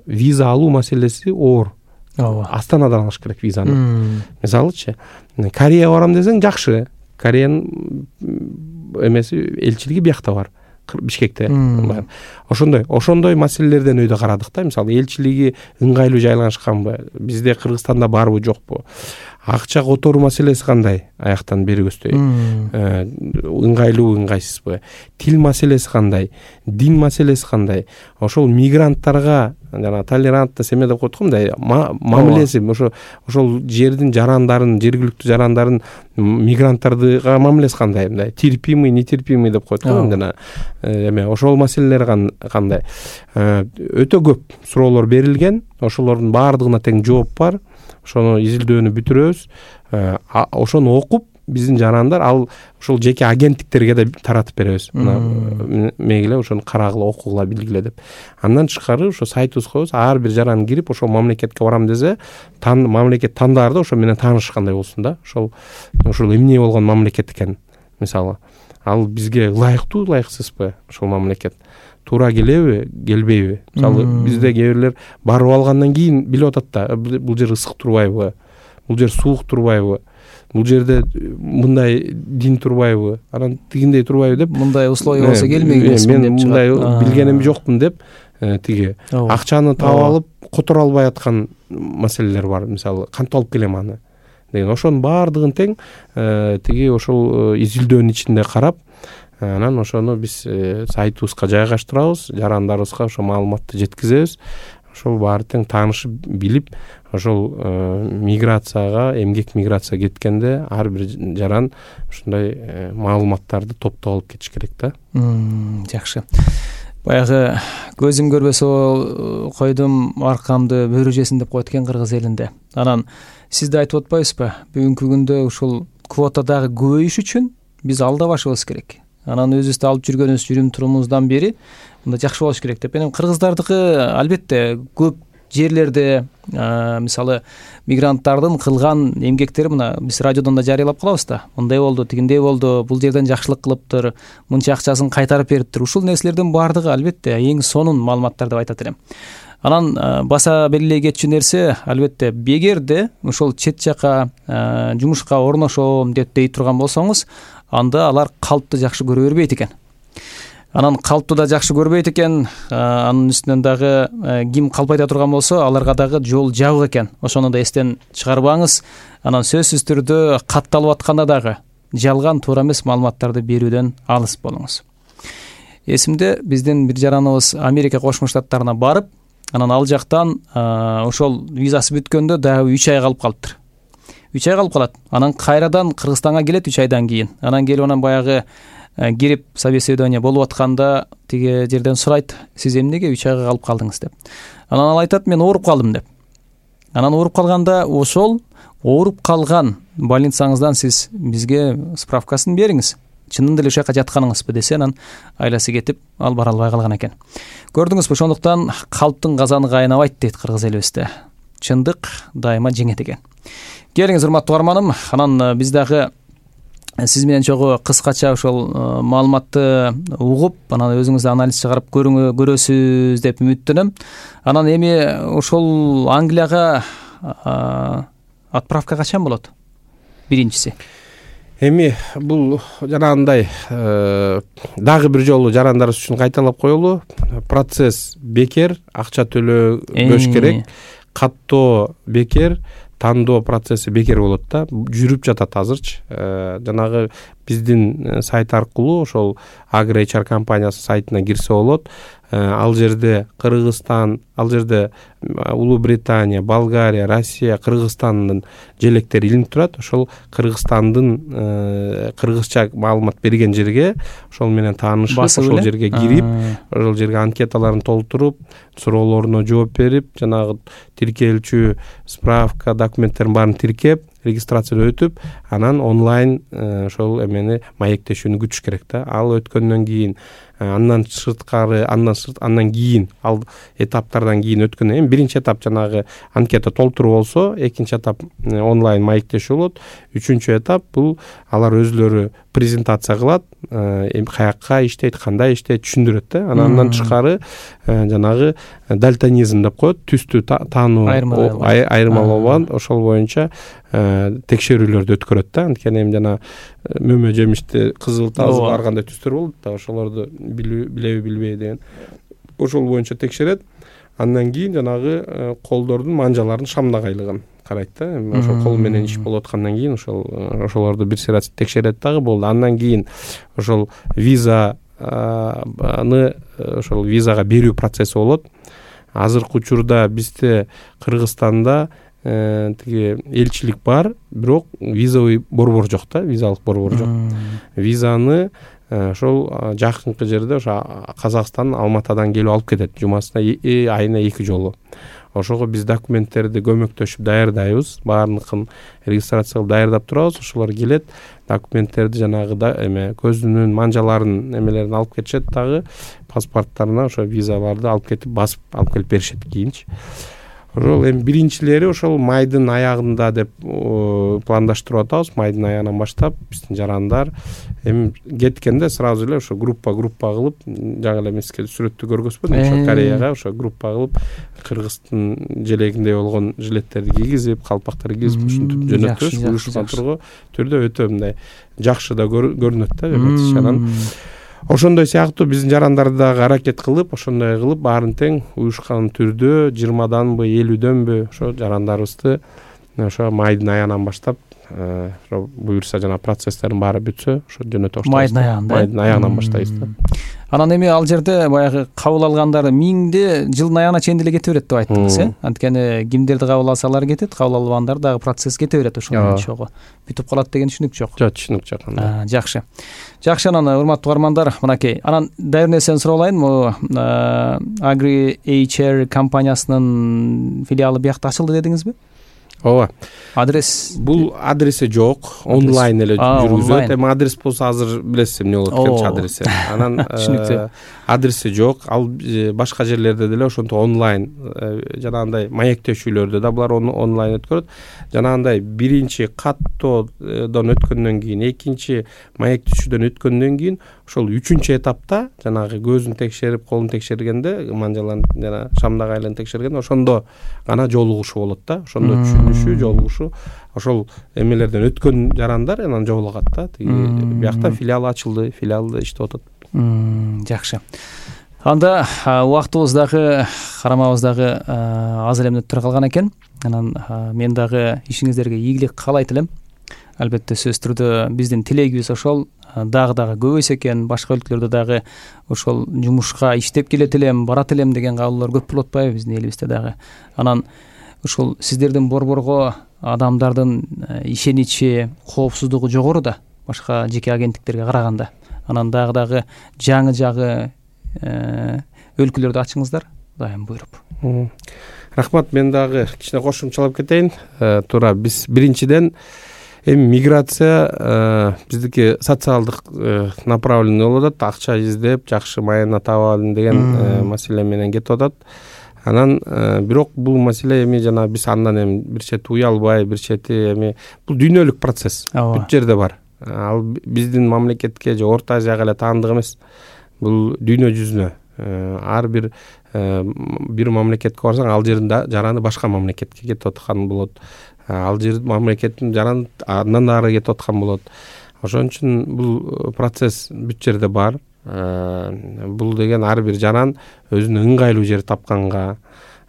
виза алуу маселеси оор. Астанадан алыш керек визаны. Мисалычы, Кореяга барам десең жакшы. Кореянын эмеси элчилиги биякта бар. Бишкекте. Ошондой маселелерден өйдө карадык да. Мисалы элчилиги ыңгайлуу жайланышканбы? Бизде Кыргызстанда барбы, жокпу? Акча которуу маселеси кандай? Аяктан бери көздөй. Ыңгайлуу, ыңгайсызбы? Тил маселеси кандай? Дин маселеси кандай? Ошол мигранттарга жана толерантность эме деп коет го, мындай мамилеси, ошол жердин жарандарын, жергиликтүү жарандарын мигранттарга мамилеси кандай? Мындай терпимый, нетерпимый деп коет го, жана эме ошол маселелер кандай? Өтө көп суроолор берилген. Ошолордун баардыгына тең жооп бар. Ошону изилдөөнү бүтүрөбүз. Ошону окуп, биздин жарандар ал ошол жеке агенттиктерге да таратып беребиз. Мегиле ошону карагыла, окугула, билгиле деп. Андан тышкары ошо сайтыбызга коебуз. Ар бир жаран кирип, ошол мамлекетке барам десе, мамлекет тандаарда ошо менен таанышкандай болсун да. Ошол эмне болгон мамлекет экен, мисалы. Ал бизге ылайыктуу, ылайыксызбы ошол мамлекет? Туура келеби, келбейби? Мисалы, бизде кээ бирлер барып алгандан кийин билип атат да, бул жер ысык турбайбы? Бул жер суук турбайбы? Бул жерде мындай дин турбайбы? Анан тигиндей турбайбы деп, мындай условия болсо келмек эмесмин деп чыгат. Мен мындай билгеним жокмун деп, тиги акчаны таап алып которо албай аткан маселелер бар. Мисалы, кантип алып келем аны деген. Ошонун баардыгын тең тиги ошол изилдөөнүн ичинде карап, анан ошону биз сайтыбызга жайгаштырабыз, жарандарыбызга ошо маалыматты жеткизебиз. Ошол баары тең таанышып, билип, ошол миграцияга, эмгек миграцияга кеткенде ар бир жаран ушундай маалыматтарды топтоп алып кетиш керек да. Жакшы. Баягы көзүм көрбөсө койдум, аркамды бөрү жесин деп коет экен кыргыз элинде. Анан сиз да айтып атпайсызбы? Бүгүнкү күндө ушул квота дагы көбөйүш үчүн биз алдабашыбыз керек. Анан өзүбүздү алып жүргөнүбүз жүрүм турумуздан бери мында жакшы болуш керек деп. Менин кыргыздардыкы албетте көп жерлерде мисалы мигранттардын кылган эмгектери мына биз радиодон да жарыялап калабыз да. Мындай болду, тигиндей болду, бул жерден жакшылык кылыптыр, мынча акчасын кайтарып бериптир. Ушул нерселердин баардыгы албетте эң сонун маалыматтар деп айтат элем. Анан баса белгилей кетчү нерсе албетте эгерде ошол чет жака жумушка орношом деп дей турган болсоңуз, анда алар калпты жакшы көрө бербейт экен. Анан калпты да жакшы көрбөйт экен. Анын үстүнөн дагы ким калп айта турган болсо, аларга дагы жол жабык экен. Ошону да эстен чыгарбаңыз. Анан сөзсүз түрдө катталып атканда дагы жалган, туура эмес маалыматтарды берүүдөн алыс болуңуз. Эсимде биздин бир жараныбыз Америка Кошмо Штаттарына барып, анан ал жактан ошол визасы бүткөндө дагы 3 ай калып калыптыр. 3 ай калып калат. Анан кайрадан Кыргызстанга келет 3 айдан кийин. Анан келип анан баягы кирип собеседование болуп атканда тиги жерден сурайт: "Сиз эмнеге 3 айга калып калдыңыз?" деп. Анан ал айтат: "Мен ооруп калдым" деп. Анан ооруп калганда ошол ооруп калган больницаңыздан сиз бизге справкасын бериңиз. чынында эле ушул жака жатканыңызбы десе, анан айласы кетип ал бара албай калган экен. Көрдүңүзбү, ошондуктан калптын казаны кайнабайт дейт кыргыз элибизде. Чындык дайыма жеңет экен. Келиңиз, урматтуу угарманым, анан биз дагы сиз менен чогуу кыскача ошол маалыматты угуп, анан өзүңүз анализ чыгарып көрөсүз деп үмүттөнөм. Анан эми ошол Англияга отправка качан болот? Биринчиси. Эми бул жанагындай дагы бир жолу жарандарыбыз үчүн кайталап коелу. Процесс бекер, акча төлөбөш керек. Каттоо бекер, тандоо процесси бекер болот да. Жүрүп жатат азырчы. Жанагы биздин сайт аркылуу ошол AgriHR компаниясы сайтына кирсе болот. Ал жерде Кыргызстан, ал жерде Улуу Британия, Болгария, Россия, Кыргызстандын желектери илинип турат. Ошол Кыргызстандын кыргызча маалымат берген жерге ошол менен таанышып, ошол жерге кирип, ошол жерге анкеталарын толтуруп, суроолоруна жооп берип, жанагы тиркелчү справка документтерин баарын тиркеп, регистрациядан өтүп, анан онлайн ошол эмени маектешүүнү күтүш керек да. Ал өткөндөн кийин, андан кийин, ал этаптардан кийин өткөндөн кийин биринчи этап жанагы анкета толтуруу болсо, экинчи этап онлайн маектешүү болот, үчүнчү этап бул алар өзлөрү презентация кылат, каякка иштейт, кандай иштейт түшүндүрөт да. Андан тышкары жанагы дальтонизм деп коет, түстү таануу айырмалоо, ошол боюнча текшерүүлөрдү өткөрөт да. Анткени эми жана мөмө жемишти кызыл, тазы ар кандай түстөр болот да, ошолорду билеби билбей деген. Ошол боюнча текшерет. Андан кийин жанагы колдордун манжаларын шамдагайлыгын карайт да. Ошол кол менен иш болуп аткандан кийин ошолорду бир сыйра текшерет дагы болду. Андан кийин ошол визаны ошол визага берүү процесси болот. Азыркы учурда бизде Кыргызстанда тиги элчилик бар, бирок визовый борбор жок да, визалык борбор жок. Визаны ошол жакынкы жерде ошо Казакстан Алматадан келип алып кетет, жумасына айына 2 жолу. Ошого биз документтерди көмөктөшүп даярдайбыз, баардыгын регистрация кылып даярдап турабыз. Ошолор келет, документтерди жанагы көзүнүн манжаларын эмелерин алып кетишет, дагы паспорттарына ошо визаларды алып кетип басып алып келип беришет кийинчи. Ошол эми биринчилери ошол майдын аягында деп пландаштырып атабыз. Майдын аягынан баштап биздин жарандар эми кеткенде сразу эле ошо группа кылып, жаңы эле миске сүрөттү көргөзбөдүм, ошо Кореяга ошо группа кылып, Кыргыздын желегиндей болгон жилеттерди кийгизип, калпактарды кийгизип ушинтип жөнөтөбүз. Уюшкан түрдө өтө мындай жакшы да көрүнөт да, анан ошондой сыяктуу биздин жарандар дагы аракет кылып, ошондой кылып баарын тең уюшкан түрдө 20данбы 50дөнбү ошо жарандарыбызды ошо майдын аягынан баштап буюрса жана процесстердин баары бүтсө ошо жөнөтө баштайбыз. Майдын аягынан баштайбыз да. Анан эми ал жерде баягы кабыл алгандар миңде жылдын аягына чейин деле кете берет деп айттыңыз, Анткени кимдерди кабыл алсалар кетет, кабыл албагандар дагы процесс кете берет ошол менен чогуу. Бүтүп калат деген түшүнүк жок. Жок, түшүнүк жок. Жакшы. Жакшы, анан урматтуу угармандар, мынакей. Анан дайыр нерсени суралайын, AgriHR компаниясынын филиалы биякта ачылды дедиңизби? Ооба. Адрес? Бул адреси жок, онлайн эле жүргүзөт. Эми адрес болсо азыр билесиз эмне болот экенчи адреси. Анан адреси жок. Ал башка жерлерде деле ошентип онлайн жанагындай маектешүүлөрдө да булар онлайн өткөрөт. Жанагындай биринчи каттоодон өткөндөн кийин, экинчи маектешүүдөн өткөндөн кийин ошол үчүнчү этапта жанагы көзүн текшерип, колун текшергенде, манжаларын жана шамдагайларын текшергенде ошондо гана жолугушуу болот да. Ошондо түшүнүшүү, жолугушуу. Ошол эмелерден өткөн жарандар анан жолугат да. Биякта филиал ачылды, филиалда иштеп атат. Жакшы. Анда убактыбыз дагы, карамабыз дагы аз эле мүнөттөр калган экен. Анан мен дагы ишиңиздерге ийгилик каалайт элем. Албетте сөзсүз түрдө биздин тилегибиз ошол дагы көбөйсө экен, башка өлкөлөрдө дагы ошол жумушка иштеп келет элем, барат элем деген кабылдар көп болуп атпайбы биздин элибизде дагы. Анан ошол сиздердин борборго адамдардын ишеничи, коопсуздугу жогору да, башка жеке агенттиктерге караганда. Анан дагы жаңы жагы өлкөлөрдү ачыңыздар, дайым буйруп. Рахмат, мен дагы кичине кошумчалап кетейин. Туура, биз биринчиден Эми миграция биздики социалдык направленный болуп атат, акча издеп жакшы майына таап алайын деген маселе менен кетип атат. Анан бирок бул маселе эми жана биз андан эми бир чети уялбай, бир чети эми бул дүйнөлүк процесс бүт жерде бар. Ал биздин мамлекетке же Орто Азияга эле таандык эмес. Бул дүйнө жүзүнө ар бир мамлекетке барсаң, ал жердин жараны башка мамлекетке кетип аткан болот. Ал жер мамлекеттин жараны андан ары кетип аткан болот. Ошон үчүн бул процесс бүт жерде бар. Бул деген ар бир жаран өзүнө ыңгайлуу жер тапканга,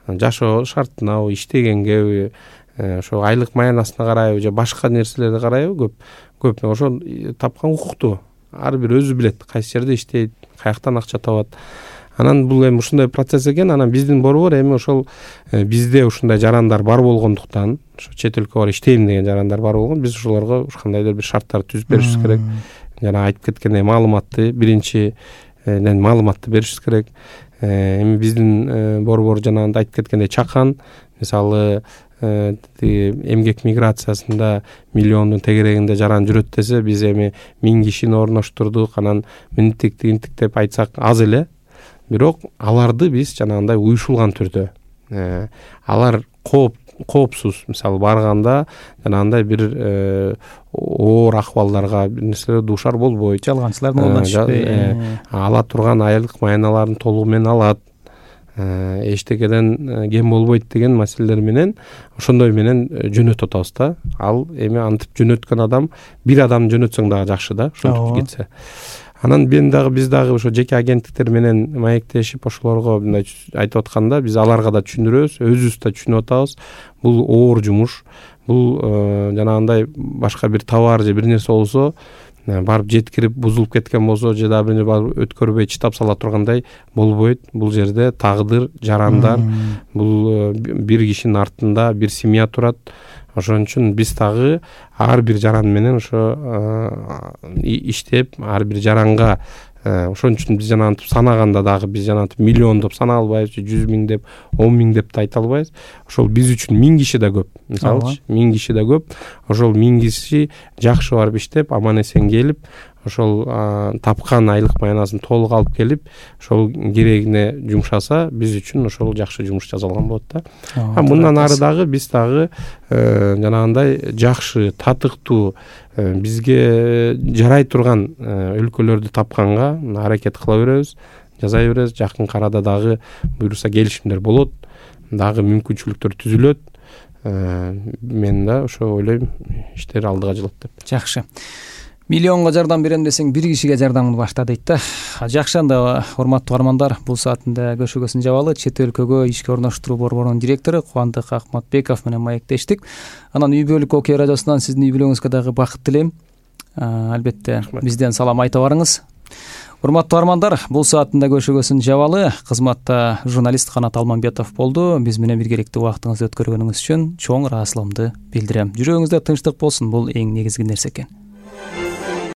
жашоо шартынабы, иштегенге, ошо айлык маянасына карайбы же башка нерселерге карайбы, көп ошо тапкан укуктуу. Ар бир өзү билет кайсы жерде иштейт, каяктан акча табат. Анан бул эми ушундай процесс экен. Анан биздин борбор эми ошол бизде ушундай жарандар бар болгондуктан, ошо чет өлкөгө барып иштейм деген жарандар бар болгон, биз ошолорго кандайдыр бир шарттар түзүп беришибиз керек. Жана айтып кеткендей маалыматты биринчиден маалыматты беришибиз керек. Эми биздин борбор жана айтып кеткендей чакан, мисалы эмгек миграциясында миллиондун тегерегинде жаран жүрөт десе, биз эми 1000 кишини орноштурдук. Анан минтиктик деп айтсак аз эле. Бирок аларды биз жанагындай уюшулган түрдө, алар коопсуз, мисалы барганда жанагындай бир оор акыбалдарга бир нерселер дуушар болбойт, жалганчылардын колунан түшпөй, ала турган айлык майналарын толугу менен алат, эчтекеден кем болбойт деген маселелер менен ошондой менен жөнөтүп атабыз да. Ал эми антип жөнөткөн адам бир адам жөнөтсөң дагы жакшы да, ошентип кетсе. Анан биз дагы ошо жеке агенттиктер менен маектешип ошолорго мындай айтып атканда, биз аларга да түшүндүрөбүз, өзүбүз да түшүнүп атабыз. Бул оор жумуш. Бул жанагындай башка бир товар же бир нерсе болсо, барып жеткирип бузулуп кеткен болсо, же да бир барып өткөрбөй чытап сала тургандай болбойт. Бул жерде тагдыр, жарандар, бул бир кишинин артында бир семья турат. Ошон үчүн биз дагы ар бир жаран менен ошо иштеп, ар бир жаранга ошон үчүн биз жанагынтип санаганда дагы биз жанагынтип миллион деп санай албайбыз, 100 000 деп, 10 000 деп да айта албайбыз. Ошол биз үчүн 1000 киши да көп. Мисалы, 1000 киши да көп. Ошол 1000 киши жакшы барып иштеп, аман эсен келип, ошол тапкан айлык маянасын толук алып келип, ошол керегине жумшаса, биз үчүн ошол жакшы жумуш жасалган болот да. Мындан ары дагы биз дагы жанагындай жакшы, татыктуу, бизге жарай турган өлкөлөрдү тапканга аракет кыла беребиз, жасай беребиз. Жакын арада дагы буюрса келишимдер болот, дагы мүмкүнчүлүктөр түзүлөт. Мен да ошо ойлойм, иштер алдыга жылат деп. Жакшы. Миллионго жардам берем десең, бир кишиге жардамыңды башта дейт да. Жакшы, анда урматтуу армандар, бул саатында көшөгөсүн жабалы. Чет өлкөгө ишке орноштуруу борборунун директору Кубандык Акматбеков менен маектештик. Анан үй бүлөлүк Окей радиосунан сиздин үй бүлөңүзгө дагы бакыт тилейм. Албетте бизден салам айта барыңыз. Урматтуу армандар, бул саатында көшөгөсүн жабалы. Кызматта журналист Канат Алмамбетов болду. Биз менен биргеликте убактыңызды өткөргөнүңүз үчүн чоң ыраазычылыгымды билдирем. Жүрөгүңүздө тынчтык болсун, бул эң негизги нерсе экен.